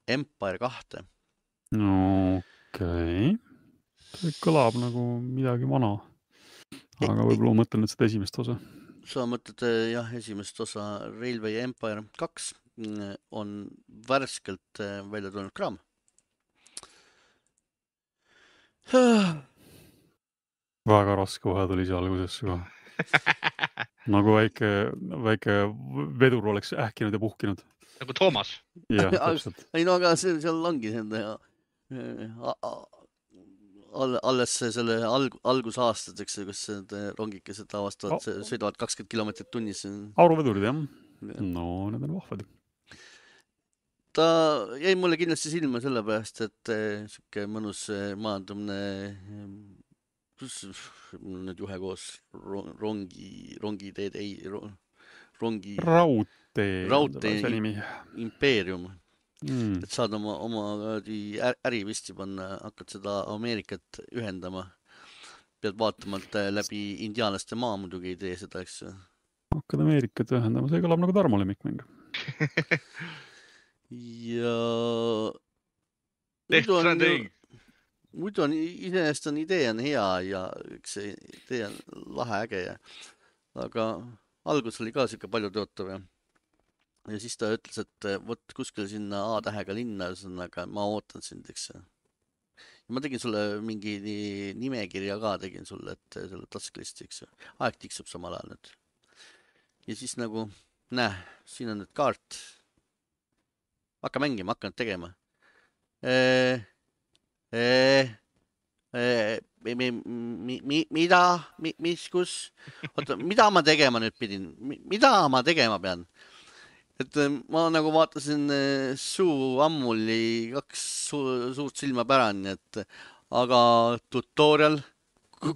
Empire kahte. No okei. Okay. See kõlab nagu midagi vana. Aga võib-olla mõtlen, et seda esimest osa. Sa mõtled, jah, esimest osa Railway Empire kaks on värskelt välja tulnud kraam. Väga raske vahe tuli see alguses ka. Nagu väike, väike vedur oleks ähkinud ja puhkinud. Nagu Toomas. Jah, täpselt. Ei no aga see, seal ongi enda alles selle alg, algusaastad, eks, kus rongikesed avastavad, oh. sõidavad kakskümmend kilomeetrit tunnis. Auruvedurid, jah. No, need on vahvad. Ta jäi mulle kindlasti silma selle pärast, et siuke mõnus maandumne, kus nüüd juhe koos rongi, rongi teed, ei, rongi... Raudtee. Raudtee impeerium. Mm. Et saad oma, oma äri visti panna, hakkad seda Ameerikat ühendama. Pead vaatama, et läbi indiaanlaste maa muidugi ei tee seda, eks. Hakkad Ameerikat ühendama, see kõlab nagu Tarmo lemmikmäng. Ja muidu on, muidu on iseenesest on idee on hea ja üks idee on lahe äge ja, aga algus oli ka siuke palju tõotav ja, ja siis ta ütles, et võt kuskil sinna A-tähega linna, aga ma ootan sind, eks. Ja ma tegin sulle mingi nimekirja ka, tegin sulle, et selle tasklisti, eks. Aeg tiksub samal ajal nüüd. Ja siis nagu, näe, siin on nüüd kaart. Hakka mängima, hakka nüüd tegema. E, e, e, mi, mi, mi, mida, mi, mis, kus? Oota, mida ma tegema nüüd pidin? Mida ma tegema pean? Et ma nagu vaatasin Suu Ammuli kaks su, suurt silma pärani, et aga tutorial,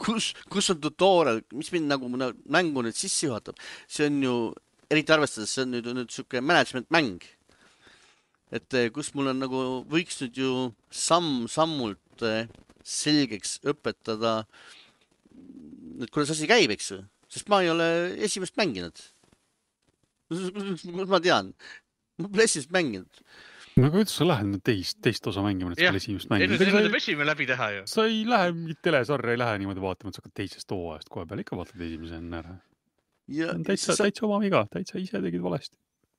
kus, kus on tutorial? Mis mind nagu mängu nüüd sissi juhatab? See on ju, eriti arvestades, see on nüüd, nüüd siuke management mäng. Et kus mul on nagu, võiks nüüd ju samm-sammult selgeks õpetada, et kuidas asi käib, eks ju? Sest ma ei ole esimest mänginud. Kus ma tean? Ma pole esimest mänginud. No aga kuidas sa lähed nüüd teist, teist osa mängima, et sa esimest mänginud? Enne tuleb esimene läbi teha ju. Sa ei lähe, mingit telesarja ei lähe niimoodi vaatama, et sa hakkad teisest hooajast kohe peal. Ikka vaatad esimese enne ära. Täitsa, sa... täitsa oma viga, täitsa ise tegid valesti.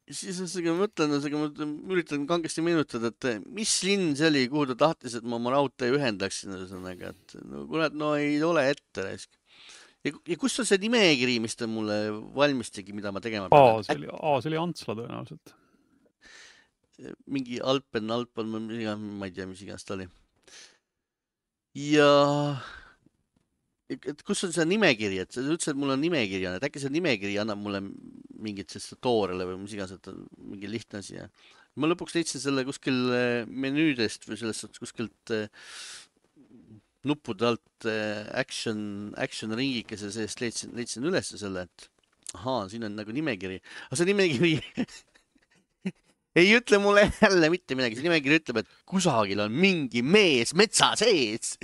Siis ma mõtlen, ma üritan kangesti meenutada, et mis linn see oli, kuhu ta tahtis, et ma oma raudtee ühendaksin. Et, no, kurat, no ei ole ette. Ja, ja kus on see nimekiri, mis ta mulle valmistigi, mida ma tegema pean? Aa, see oli, aa, see oli Antsla tõenäoliselt. Mingi Alpen, Alpen, ma ei tea, mis igast ta oli. Ja... et kus on see nimekiri, et sa ütlesid, et mul on nimekiri, et äkki see nimekiri annab mulle mingit toorele või mis igas, et mingi lihtne asi. Ja. Ma lõpuks leidsin selle kuskil menüüdest või sellest kuskilt nuppude alt action, action ringikese seest leidsin, leidsin üles selle, et ahaa, siin on nagu nimekiri. Aga see nimekiri ei ütle mulle jälle mitte midagi. See nimekiri ütleb, et kusagil on mingi mees metsa sees.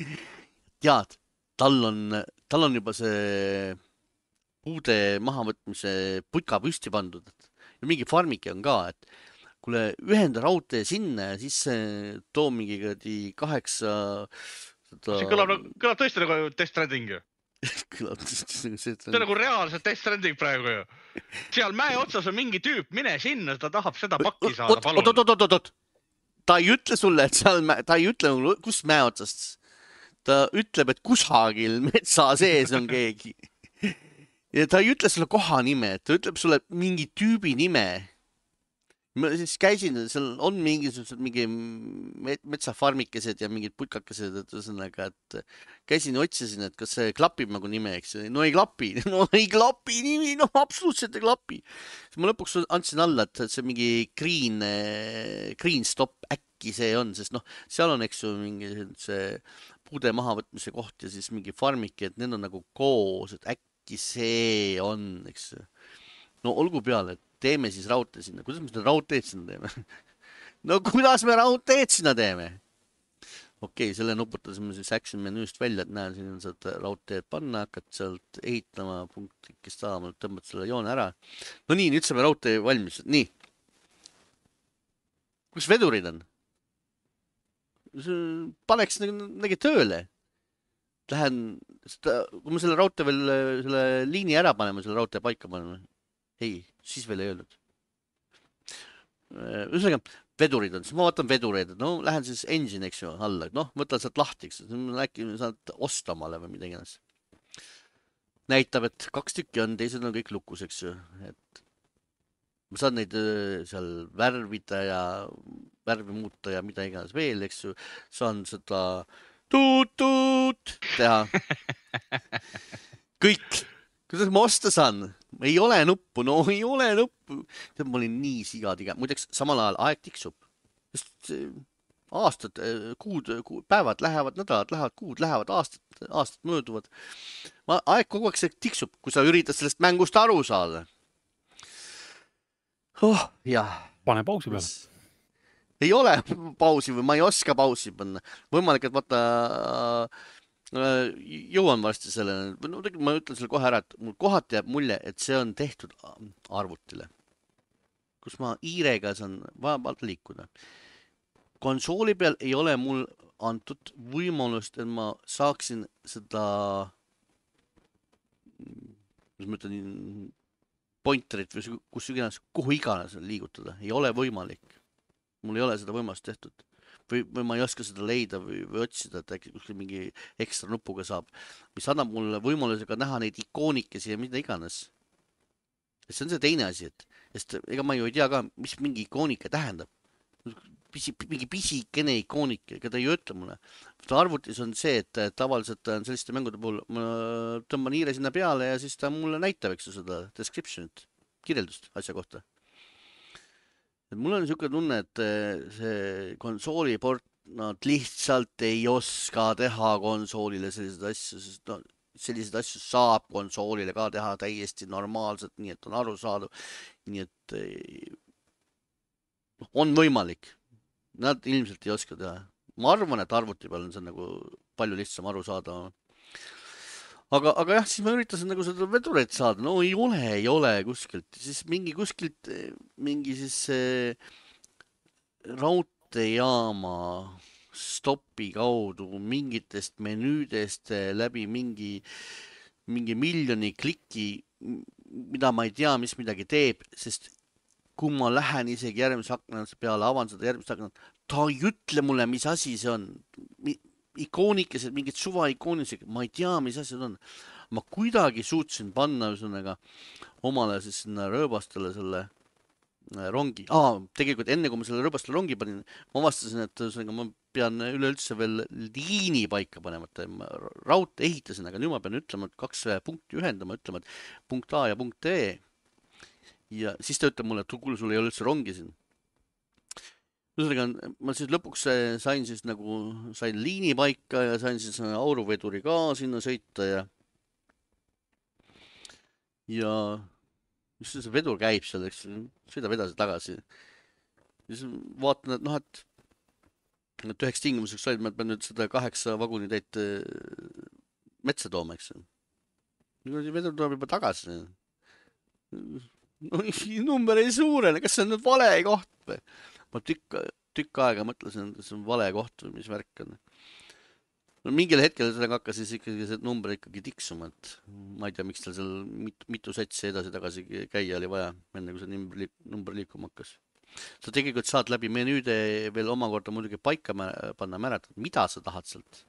Tead, tal on, tal on juba see puude mahavõtmise putka püsti pandud. Ja mingi farmike on ka, et kuule, ühenda raudtee sinna ja siis too mingi kaheksa... Seda... See kõlab, kõlab tõesti nagu Death Stranding ju. Kõlab tõesti nagu see. See on nagu reaalselt Death Stranding praegu ju. Seal mäe otsas on mingi tüüp, mine sinna, ta tahab seda pakki saada, palun. Oot, oot, oot, oot. Ta ei ütle sulle, et seal, ta ei ütle, kus mäe otsast. Ta ütleb, et kusagil metsa sees on keegi. Ja ta ei ütle sulle koha nime, ta ütleb sulle mingi tüübi nime. ma siis käisin, seal on mingisugused mingi metsafarmikesed ja mingid putkakesed, et ühesõnaga, et käisin ja otsisin, et kas see klapib nagu nime, eks. No ei klapi, no ei klapi nimi, no absoluutselt ei klapi. Siis ma lõpuks andsin alla, et see mingi green, green stop äkki see on, sest noh, seal on, eks ju, mingi see puude mahavõtmise koht ja siis mingi farmik, et need on nagu koos, et äkki see on, eks. No olgu peale, et teeme siis raudtee sinna. Kuidas me seda raudteed sinna teeme? No kuidas me raudteed sinna teeme? Okei, okay, selle nuputasime siis Action menüüst välja, et näen, siin on saad raudteed panna, hakkad sealt ehitama punktikest saama, tõmbad selle joone ära. No nii, nüüd saame raudtee valmis. Nii. Kus vedurid on? Paneks negi tööle. Lähen, kui me selle raudtee veel, selle liini ära paneme, selle raudtee paika paneme. Ei, siis veel ei öelnud. Ühesõnaga, vedurid on, siis ma vaatan vedureid, no lähen siis engine, eks ju, alla, noh, võtan sealt lahti, eks ju, äkki saad osta omale või midagi ennast. Näitab, et kaks tükki on, teised on kõik lukus, eks ju, et ma saan neid seal värvida ja värvi muuta ja mida iganes veel, eks ju, saan seda tuut-tuut teha. Kõik. Kuidas ma osta saan? Ei ole nuppu, no ei ole nuppu. Ma olin nii sigatiga. Muideks, samal ajal aeg tiksub. Sest aastad, kuud, kuud, päevad lähevad, nädalad lähevad, kuud lähevad, aastad, aastad mööduvad. Aeg kogu aeg see tiksub, kui sa üritad sellest mängust aru saada. Oh, jah. Pane pausi peale. Ei ole pausi või ma ei oska pausi panna. Võimalik, et vaata... jõuan varsti sellele, no ma ütlen selle kohe ära, et mul kohati jääb mulje, et see on tehtud arvutile, kus ma iirega saan vabalt liikuda. Konsooli peal ei ole mul antud võimalust, et ma saaksin seda, mis ma ütlen, pointerit või kus iganes, kuhu iganes liigutada. Ei ole võimalik. Mul ei ole seda võimalust tehtud. Või, või ma ei oska seda leida või, või otsida, et äkki kuskil mingi ekstra nupuga saab, mis annab mulle võimalusega näha neid ikoonikesi ja mida iganes. See on see teine asi, et sest ega ma ju ei tea ka, mis mingi ikoonika tähendab. Pisi, mingi pisikene ikoonik, ega ta ei ütle mulle. Arvutis on see, et tavaliselt on selliste mängude puhul ma tõmban hiire sinna peale ja siis ta mulle näitab, eks ju, seda descriptionit, kirjeldust asja kohta. Et mul on niisugune tunne, et see konsooliport, nad lihtsalt ei oska teha konsoolile selliseid asju, sest no, selliseid asju saab konsoolile ka teha täiesti normaalselt, nii et on aru saadav, nii et on võimalik. Nad ilmselt ei oska teha. Ma arvan, et arvuti peal on see nagu palju lihtsam aru saada. Aga, aga jah, siis ma üritasin nagu seda vedureid saada. No ei ole, ei ole kuskilt. Siis mingi kuskilt, mingi siis raudteejaama stopi kaudu mingitest menüüdest läbi mingi, mingi miljoni kliki, mida ma ei tea, mis midagi teeb, sest kui ma lähen isegi järgmise aknast peale, avan seda järgmist aknast, ta ei ütle mulle, mis asi see on. Ikoonikesed, mingid suva ikoonised, ma ei tea, mis asjad on. Ma kuidagi suutsin panna ühesõnaga omale siis sinna rööbastele selle rongi. Aa, tegelikult enne, kui ma selle rööbastele rongi panin, ma vastasin, et ühesõnaga ma pean üleüldse veel liini paika panema. Raudtee ehitasin, aga nüüd ma pean ütlema, et kaks punkti ühendama, ütlema, et punkt A ja punkt E. Ja siis ta ütleb mulle, et kuule, sul ei ole üldse rongi siin. Ühesõnaga, ma siis lõpuks sain siis nagu, sain liini paika ja sain siis auruveduri ka sinna sõita ja ja just see vedur käib seal, eks, sõidab edasi tagasi. Ja siis vaatan, et noh, et, et üheks tingimuseks said, ma pean nüüd seda kaheksa vagunitäit metsa tooma, eks. Vedur tuleb juba tagasi. No, number ei suurene, kas see on nüüd vale koht või? Ma tükk, tükk aega mõtlesin, et see on vale koht või mis värk on. No, mingil hetkel sellega hakkas siis ikkagi see number ikkagi tiksuma, et ma ei tea, miks tal seal mitu, mitu satsi edasi-tagasi käia oli vaja, enne kui see number, number liikuma hakkas. Sa tegelikult saad läbi menüüde veel omakorda muidugi paika panna määratud, mida sa tahad sealt.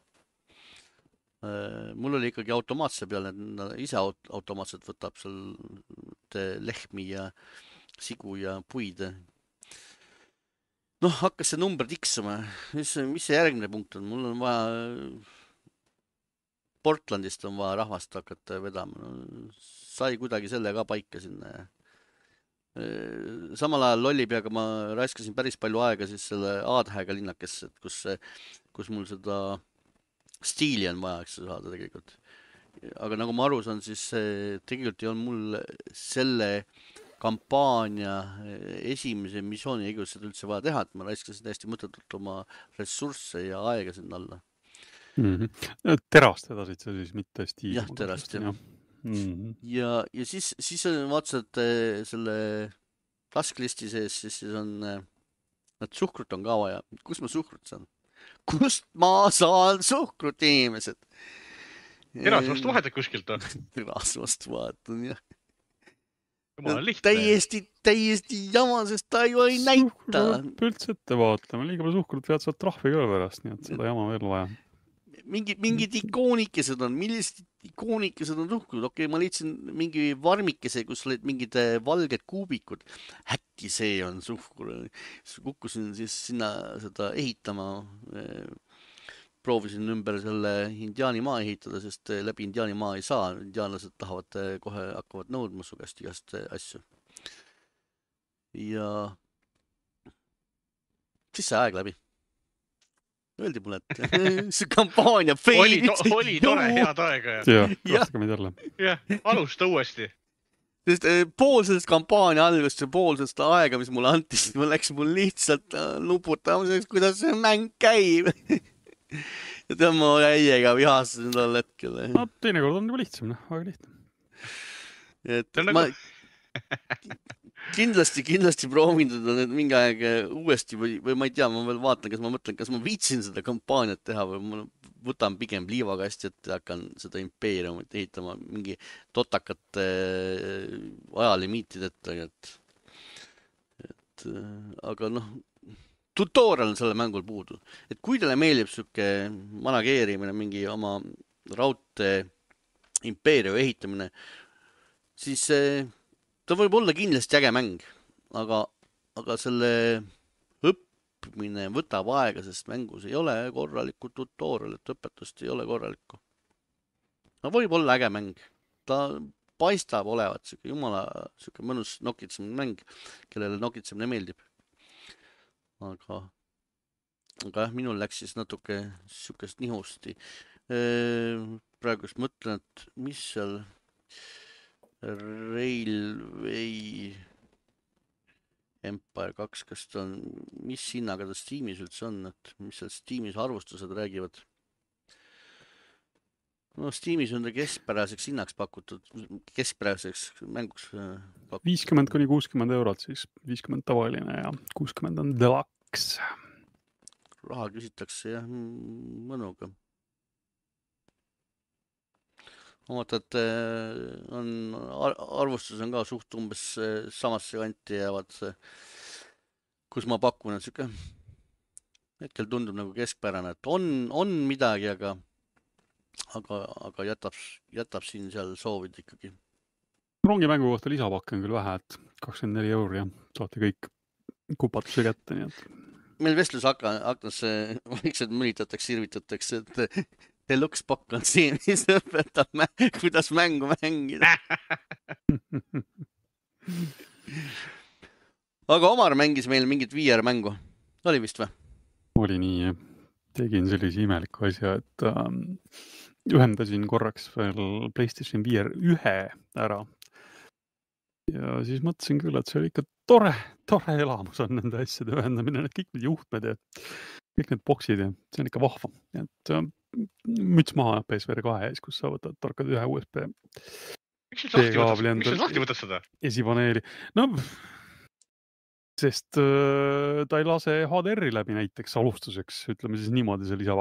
Mul oli ikkagi automaatse peal, et ise automaatselt võtab seal lehmi ja sigu ja puid. noh, hakkas see number tiksuma. Mis, mis see järgmine punkt on? Mul on vaja, Portlandist on vaja rahvast hakata vedama. No, sai kuidagi selle ka paika sinna. Samal ajal lollipeaga ma raiskasin päris palju aega siis selle Aadhäega linnakesse, kus, kus mul seda stiili on vaja, eks saada tegelikult. Aga nagu ma aru saan, siis tegelikult ei olnud mul selle kampaania esimese missiooni õigus seda üldse vaja teha, et ma raiskasin täiesti mõttetult oma ressursse ja aega sinna alla. Mm-hmm. Terast vedasid sa siis, mitte stiili? Jah, terast, jah. Mm-hmm. Ja, ja siis, siis vaatasin, et selle tasklisti sees, siis, siis on, et suhkrut on ka vaja. Kus ma suhkrut saan? Kust ma saan suhkrut, inimesed? Erasvast vahetad kuskilt on? Erasvast vahetan, jah. Jumala lihtne. Täiesti, täiesti jama, sest ta ju ei näita. Üldse ette vaatlema, liiga palju suhkrut vead saad trahvi ka pärast, nii et seda jama veel vaja. Mingid, mingid ikoonikesed on, millised ikoonikesed on suhkrut? Okei, ma leidsin mingi varmikese, kus olid mingid valged kuubikud. Äkki see on suhkur. Kukkusin siis sinna seda ehitama. Proovisin ümber selle indiaani maa ehitada, sest läbi indiaani maa ei saa. Indiaanlased tahavad kohe hakkavad nõudma su käest igast asju. Ja siis see aeg läbi. Öeldi mulle, et see kampaania oli, to, oli tore head aega. Ja, laske meid jälle. Jah, alusta uuesti. Sest pool sellest kampaania algust ja pool sellest aega, mis mulle anti, siis mul läks mul lihtsalt luputamiseks, kuidas see mäng käib. Ja tema jäiega vihastasin tol hetkel. No, teinekord on juba lihtsam, väga lihtne. Et ma kindlasti, kindlasti proovin seda nüüd mingi aeg uuesti või, või ma ei tea, ma veel vaatan, kas ma mõtlen, kas ma viitsin seda kampaaniat teha või ma võtan pigem liivakasti, et hakkan seda impeeriumit ehitama mingi totakate ajalimiitideta. Et, et, aga noh, tutorial on selle mängul puudu. Et kui teile meeldib süke manageerimine, mingi oma raudtee impeeriumi ehitamine, siis ta võib olla kindlasti äge mäng, aga, aga selle õppimine võtab aega, sest mängus ei ole korralikku tutorialit, õpetust ei ole korralikku. No võib olla äge mäng. Ta paistab olevat siuke jumala siuke mõnus nokitsemine mäng, kellele nokitsemine meeldib. Aga, aga jah, minul läks siis natuke siukest nihusti. Praegu just mõtlen, et mis seal Railway Empire kaks, kas ta on, mis hinnaga ta Steamis üldse on, et mis seal Steamis arvustused räägivad? No Steamis on ta keskpäraseks hinnaks pakutud, keskpäraseks mänguks pakutud. viiskümmend kuni kuuskümmend eurot, siis viiskümmend tavaline ja kuuskümmend on deluxe. Raha küsitakse jah, mõnuga. Omata, et on, arvustus on ka suht umbes samasse kanti jäävad, kus ma pakun, et siuke hetkel tundub nagu keskpärane, et on, on midagi, aga, aga, aga jätab, jätab siin seal soovid ikkagi. Rongimängu kohta lisapakk on küll vähe, et kakskümmend neli euri ja saate kõik kupatuse kätte, nii et. Meil vestlus aknas vaikselt mõnitatakse, sirvitatakse, et Deluxe pakk on siin, mis õpetab, kuidas mängu mängida. Aga Omar mängis meil mingit V R mängu. Oli vist või? Oli nii. Tegin sellise imeliku asja, et ähm, ühendasin korraks veel PlayStation V R ühe ära. Ja siis mõtlesin küll, et see oli ikka tore, tore elamus on nende asjade ühendamine, need kõik need juhtmed ja kõik need boksid ja see on ikka vahva. Et ähm, müts maha P S V R kahe ees, kus sa võtad tarkad ühe U S B Miks sa lahti võtad seda? Esipaneeli. No, sest äh, ta ei lase H D R-i läbi näiteks alustuseks, ütleme siis niimoodi see lisa,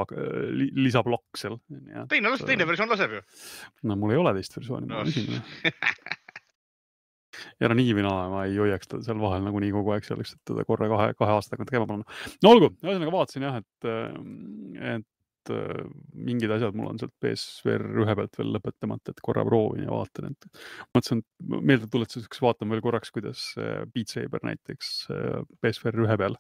li, lisablokk seal. Teine, teine versioon laseb ju. No mul ei ole teist versiooni. No. Ja no nii või naa, ma ei hoiaks teda seal vahel nagu nii kogu aeg selleks, et teda korra kahe, kahe aasta tagant käima panna. No olgu, ühesõnaga vaatasin jah, et, et et äh, mingid asjad mul on sealt P S V R ühe pealt veel lõpetamata, et korra proovin ja vaatan, et mõtlesin, et meeldetuletuseks vaatan veel korraks, kuidas äh, Beat Saber näiteks äh, P S V R ühe peal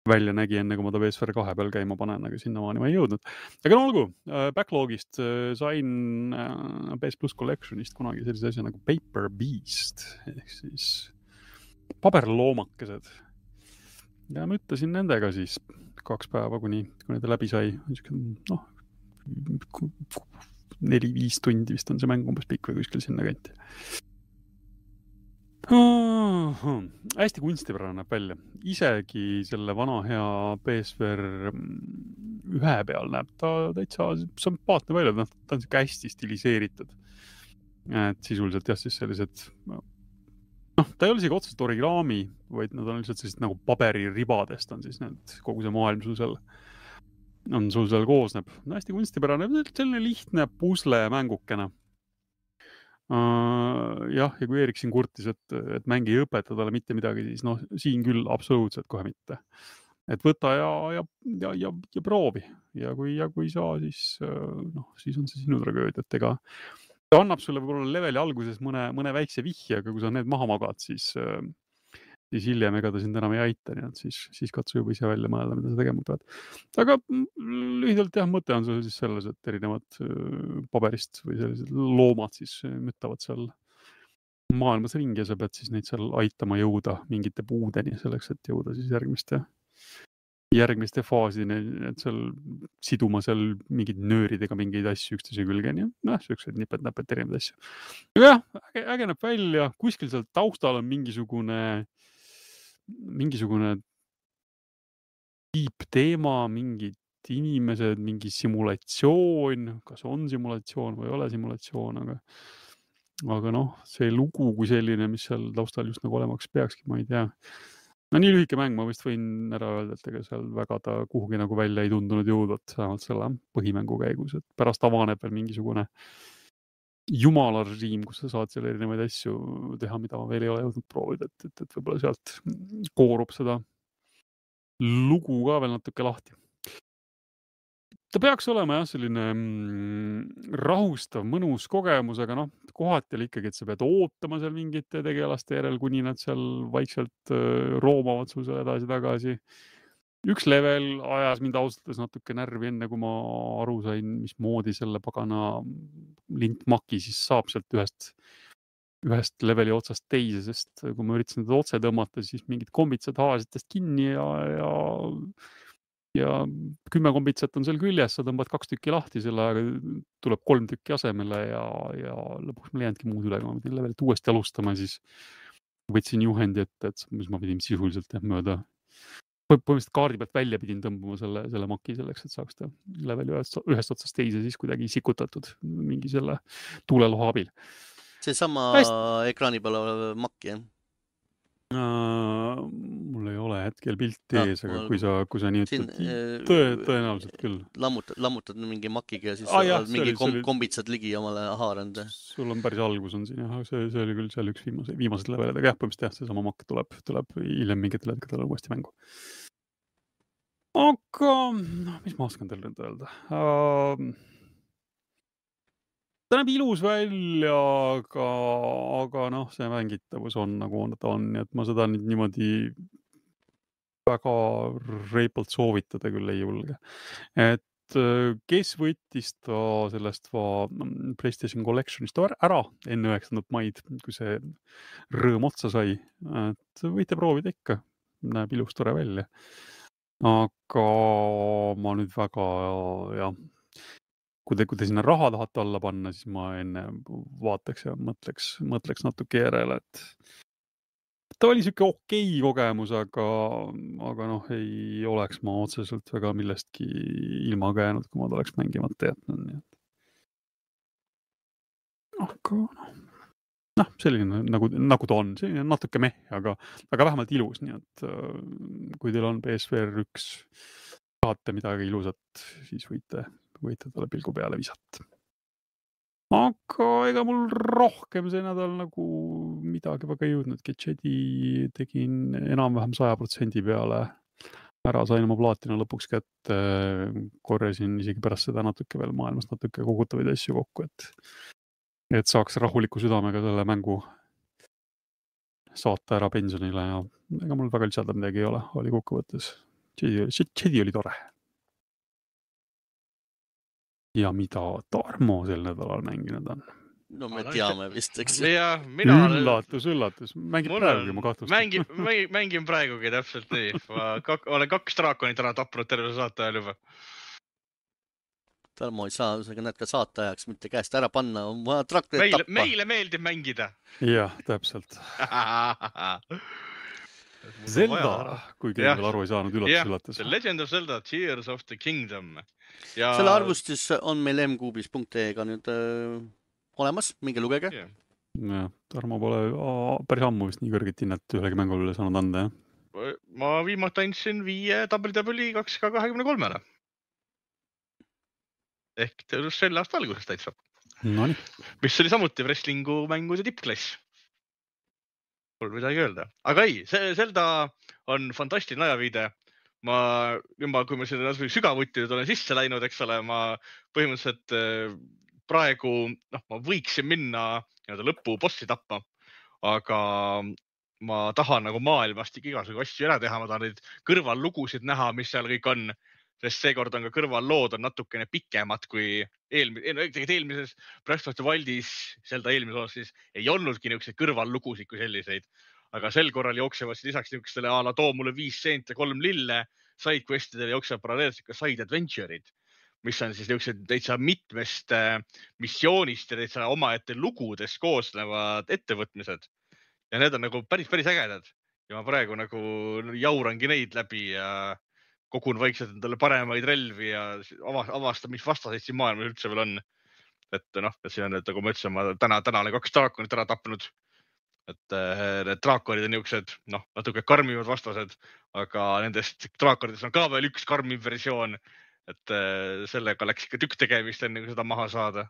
välja nägi, enne kui ma ta P S V R kahe peal käima panen, aga sinnamaani ma ei jõudnud. Aga no olgu, äh, backlogist äh, sain äh, P S Plus Collectionist kunagi sellise asja nagu Paper Beast, ehk siis paberloomakesed. Ja ma ütlesin nendega siis kaks päeva, kuni, kuni ta läbi sai. Noh, neli-viis tundi vist on see mäng umbes pikk või kuskil sinna kanti. Oh, hästi kunstipärane näeb välja. Isegi selle vana hea P S V R ühe peal näeb ta täitsa sümpaatne välja. Ta on siuke hästi stiliseeritud. Et sisuliselt jah, siis sellised... Noh, ta ei ole isegi otseselt origami, vaid nad on lihtsalt sellised nagu paberiribadest on siis need, kogu see maailm sul seal, on sul seal koosneb. No, hästi kunstipärane, selline lihtne pusle mängukene. Uh, jah, ja kui Erik siin kurtis, et, et mäng ei õpeta talle mitte midagi, siis noh, siin küll absoluutselt kohe mitte. Et võta ja, ja, ja, ja, ja proovi. Ja kui, ja kui saa, siis, noh, siis on see sinu tragööd, et ega ta annab sulle võib-olla leveli alguses mõne, mõne väikse vihje, aga kui sa need maha magad, siis, siis hiljem ega ta sind enam ei aita, nii et siis, siis katsu juba ise välja mõelda, mida sa tegema pead. Aga lühidalt jah, mõte on sul siis selles, et erinevad paberist või sellised loomad siis müttavad seal maailmas ringi ja sa pead siis neid seal aitama jõuda mingite puudeni selleks, et jõuda siis järgmiste järgmiste faasideni, et seal siduma seal mingid nööridega mingeid asju üksteise külgeni. Noh, sellised nipet-näpet erinevad asju. Aga jah, äge, äge näeb välja. Kuskil seal taustal on mingisugune mingisugune tiipteema, mingid inimesed, mingi simulatsioon, kas on simulatsioon või ei ole simulatsioon, aga aga noh, see lugu kui selline, mis seal taustal just nagu olemaks peakski, ma ei tea. No nii lühike mäng, ma vist võin ära öelda, et ega seal väga ta kuhugi nagu välja ei tundunud jõudvat vähemalt selle põhimängu käigus, et pärast avaneb veel mingisugune jumalarežiim, kus sa saad seal erinevaid asju teha, mida ma veel ei ole jõudnud proovida, et, et, et võib-olla sealt koorub seda lugu ka veel natuke lahti. Ta peaks olema jah, selline mm, rahustav, mõnus kogemus, aga noh, kohati oli ikkagi, et sa pead ootama seal mingite tegelaste järel, kuni nad seal vaikselt äh, roomavad sul seal edasi-tagasi. Üks level ajas mind ausalt natuke närvi enne, kui ma aru sain, mis moodi selle pagana lintmaki siis saab sealt ühest, ühest leveli otsast teise, sest kui ma üritasin teda otse tõmmata, siis mingid kombitsad haasitest kinni ja, ja ja kümme kombitsat on seal küljes, sa tõmbad kaks tükki lahti, selle aega tuleb kolm tükki asemele ja, ja lõpuks mul jäändki muud üle, kui ma pidin levelit uuesti alustama, siis võtsin juhendi, et, et mis ma pidin sisuliselt mööda. Põhimõtteliselt kaardi pealt välja pidin tõmbama selle, selle maki selleks, et saaks ta leveli ühest, ühest otsast teise siis kuidagi sikutatud mingi selle tuuleloha abil. See sama Hästi. Ekraani peal olev makk, jah? Uh, mul ei ole hetkel pilti ees, aga kui sa, kui sa nii ütled, tõe, tõenäoliselt küll. Lammutad, lammutad mingi makiga ja siis ah, jah, mingi oli, kom, oli, kombitsad ligi omale haarand. Sul on päris algus on siin, jah, see, see oli küll seal üks viimase, viimased levelid, aga jah, põhimõtteliselt jah, see sama makk tuleb, tuleb hiljem mingitel hetkedel uuesti mängu. Aga, mis ma oskan teile nüüd öelda? Uh, Ta näeb ilus välja, aga, aga noh, see mängitavus on nagu on, ta on, nii et ma seda nüüd niimoodi väga reipalt soovitada küll ei julge. Et kes võttis ta sellest va PlayStation Collectionist ära enne üheksandat maid, kui see rõõm otsa sai, et võite proovida ikka, näeb ilus tore välja. Aga ma nüüd väga, jah, kui te, kui te sinna raha tahate alla panna, siis ma enne vaataks ja mõtleks, mõtleks natuke järele, et ta oli siuke okei kogemus, aga, aga noh, ei oleks ma otseselt väga millestki ilma käinud, kui ma ta oleks mängimata jätnud. Nii et... Aga noh, noh, selline nagu, nagu ta on, selline natuke meh, aga, aga vähemalt ilus, nii et kui teil on P S V R üks, tahate midagi ilusat, siis võite võite talle pilgu peale visata. Aga ega mul rohkem see nädal nagu midagi väga ei jõudnud. Gadgeti tegin enam-vähem saja protsendi peale ära sain oma plaatina lõpuks kätte, korjasin isegi pärast seda natuke veel maailmas natuke kogutavaid asju kokku, et, et saaks rahuliku südamega selle mängu saata ära pensionile ja ega mul väga lisada midagi ei ole, oli kokkuvõttes. Jedi oli tore. Ja mida Tarmo sel nädalal mänginud on? No me teame vist, eks. Ja, mina üllatus, üllatus. Mängin praegugi, ma kahtlustan. Mängin, mängin praegugi täpselt nii. Ma kak, olen kaks draakonit ära tapnud terve saate ajal juba. Tarmo ei saa, sa näed ka saate ajaks mitte käest ära panna, on vaja traktorit meile, tappa. Meile meeldib mängida. Jah, täpselt. Zelda, kui keegi veel aru ei saanud, üllatus, üllatus. The Legend of Zelda, Tears of the Kingdom. Ja... Selle arvustis on meil m-kuubis.ee-ga nüüd äh, olemas, minge lugege. Yeah. Ja, Tarmo pole aa, päris ammu vist nii kõrget hinnet ühelegi mängule saanud anda, jah? Ma viimati andsin viie W W E kaks K kakskümmend kolm. Ehk selle aasta alguses täitsa. No nii. Mis oli samuti wrestlingu mängude tippklass. Pole midagi öelda. Aga ei, see Zelda on fantastiline ajaviide. Ma, juba, kui ma selle sügavuti olen sisse läinud, eks ole, ma põhimõtteliselt praegu, noh, ma võiksin minna lõppu bossi tappa, aga ma tahan nagu maailmast igasugu asju ära teha, ma tahan neid kõrvallugusid näha, mis seal kõik on, sest seekord on ka kõrvallood on natukene pikemad kui eelmises, eelmises Breath of the Wildis, Zelda eelmises osas siis ei olnudki niisuguseid kõrvallugusid kui selliseid, aga sel korral jooksevad lisaks niisugustele a la too mulle viis seent ja kolm lille, sidequestidele jooksevad paralleelselt ka side adventure'id, mis on siis niisugused täitsa mitmest missioonist ja täitsa omaette lugudest koosnevad ettevõtmised. Ja need on nagu päris, päris ägedad. Ja ma praegu nagu jaurangi neid läbi ja kogun vaikselt endale paremaid relvi ja avastan, mis vastaseid siin maailmas üldse veel on. Et noh, et siin on, et nagu ma ütlesin, ma täna, täna olen kaks draakonit ära tapnud. Et need draakonid on niisugused, noh, natuke karmivad vastased, aga nendest draakonidest on ka veel üks karmiv versioon. Et sellega läks ikka tükk tegemist enne, kui seda maha saada.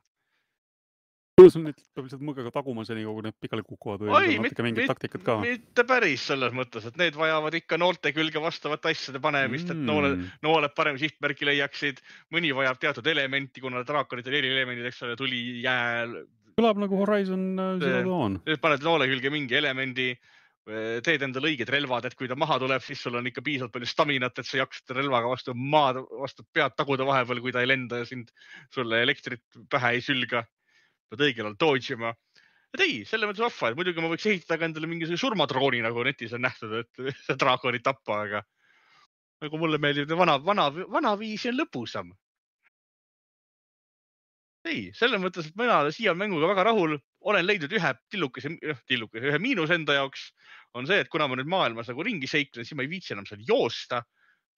Kuidas on need, peab lihtsalt mõgega taguma seni, kui need pikali kukuvad või Oi, on natuke mingid taktikad ka? Mitte päris selles mõttes, et need vajavad ikka noolte külge vastavat asjade panemist, et nooled, nooled parem sihtmärki leiaksid. Mõni vajab teatud elementi, kuna draakonitel eri elemendid, eks ole, tuli jääl. Kõlab nagu Horizon Zero Dawn. Nüüd paned noole külge mingi elemendi, teed endale õiged relvad, et kui ta maha tuleb, siis sul on ikka piisavalt palju staminat, et sa jaksad relvaga vastu maad, vastu pead taguda vahepeal, kui ta ei lenda ja sind sulle elektrit pähe ei sülga. Pead õigel all dodge'ima. Et ei, selle mõttes vahva, et muidugi ma võiks ehitada ka endale mingisuguse surmadrooni, nagu netis on nähtud, et see draakonit tappa, aga nagu mulle meeldib, vana, vana, vana viisi on lõpusam. Ei, selle mõttes, et mina olen siia mänguga väga rahul, olen leidnud ühe tillukese, tillukese, ühe miinus enda jaoks, on see, et kuna ma nüüd maailmas nagu ringi seiklen, siis ma ei viitsi enam seal joosta,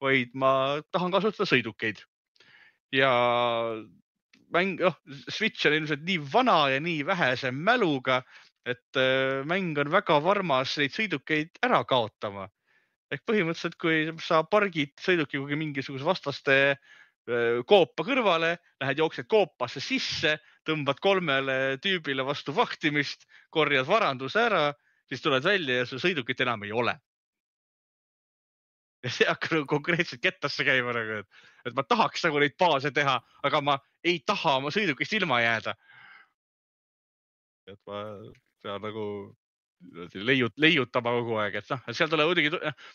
vaid ma tahan kasutada sõidukeid. Ja mäng, oh, Switch on ilmselt nii vana ja nii vähese mäluga, et mäng on väga varmas neid sõidukeid ära kaotama. Ehk põhimõtteliselt, kui sa pargid sõiduki kugi mingisuguse vastaste koopa kõrvale, lähed jooksed koopasse sisse, tõmbad kolmele tüübile vastu vahtimist, korjad varanduse ära, siis tuled välja ja see sõidukit enam ei ole. Ja see hakkab konkreetselt kettasse käima, nagu, et, et ma tahaks nagu neid baase teha, aga ma ei taha oma sõidukist ilma jääda. Et ma pean nagu leiut, leiutama kogu aeg, et noh, seal tuleb muidugi,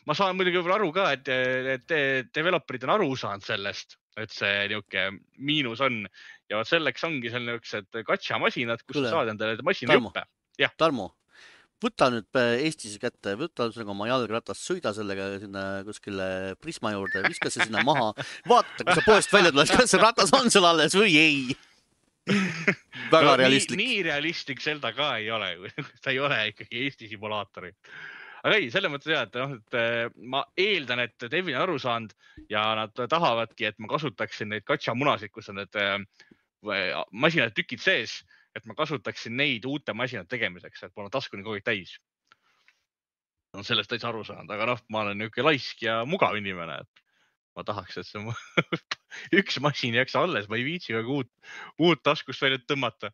ma saan muidugi võib-olla aru ka, et, et developerid on aru saanud sellest, et see niuke miinus on ja selleks ongi seal niuksed gacha-masinad, kus Tule. Saad endale masina Tarmo, õppe. Tarmo, võta nüüd Eestis kätte, võta oma jalgratast, sõida sellega sinna kuskile Prisma juurde, viska see sinna maha, vaata, kui sa poest välja tuled, kas see ratas on seal alles või ei. Väga no, realistlik. Nii, nii realistlik Zelda ka ei ole, ta ei ole ikkagi Eesti simulaatori. Aga ei, selle mõttes jah, et, noh, et ma eeldan, et Devin on aru saanud ja nad tahavadki, et ma kasutaksin neid gacha-munasid, kus on need masinad tükid sees, et ma kasutaksin neid uute masinad tegemiseks, et mul on taskuni kogu aeg täis. On sellest täitsa aru saanud, aga noh, ma olen niuke laisk ja mugav inimene, et ma tahaks, et see üks masin jääks alles, ma ei viitsi uut, uut taskust välja tõmmata.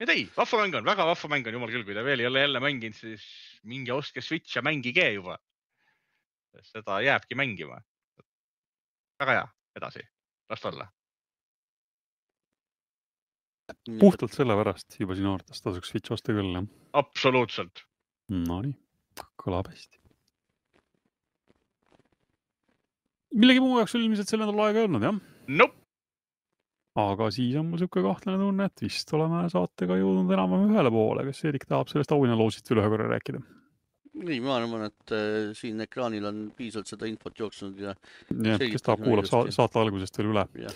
Ja ei, vahva mäng on, väga vahva mäng on, jumal küll, kui ta veel ei ole jälle mänginud, siis mingi ostke Switch ja mängige juba. seda jääbki mängima. Väga hea, edasi, las olla. Puhtalt selle pärast juba sinu arvates tasuks Switch osta küll, jah? Absoluutselt. No nii, kõlab hästi. Millegi muu jaoks ilmselt selle nädal aega ei olnud, jah? Nope. Aga siis on mul siuke kahtlane tunne, et vist oleme saatega jõudnud enam ühele poole. Kas Erik tahab sellest auhinnaloosist üle ühe korra rääkida? Nii, ma arvan, et äh, siin ekraanil on piisavalt seda infot jooksnud ja ja kes tahab kuulab sa saate algusest veel üle. Ja.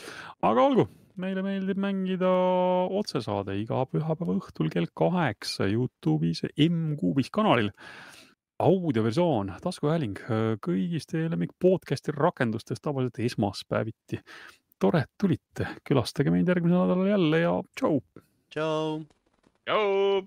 Aga olgu, meile meeldib mängida otsesaade iga pühapäeva õhtul kell kaheksa YouTube'is M-Kuubis kanalil. Audioversioon, taskuhääling kõigist teie lemmik podcasti rakendustest tavaliselt esmaspäeviti. Tore, et tulite. Külastage meid järgmisel nädalal jälle ja tšau! Tšau! Tšau!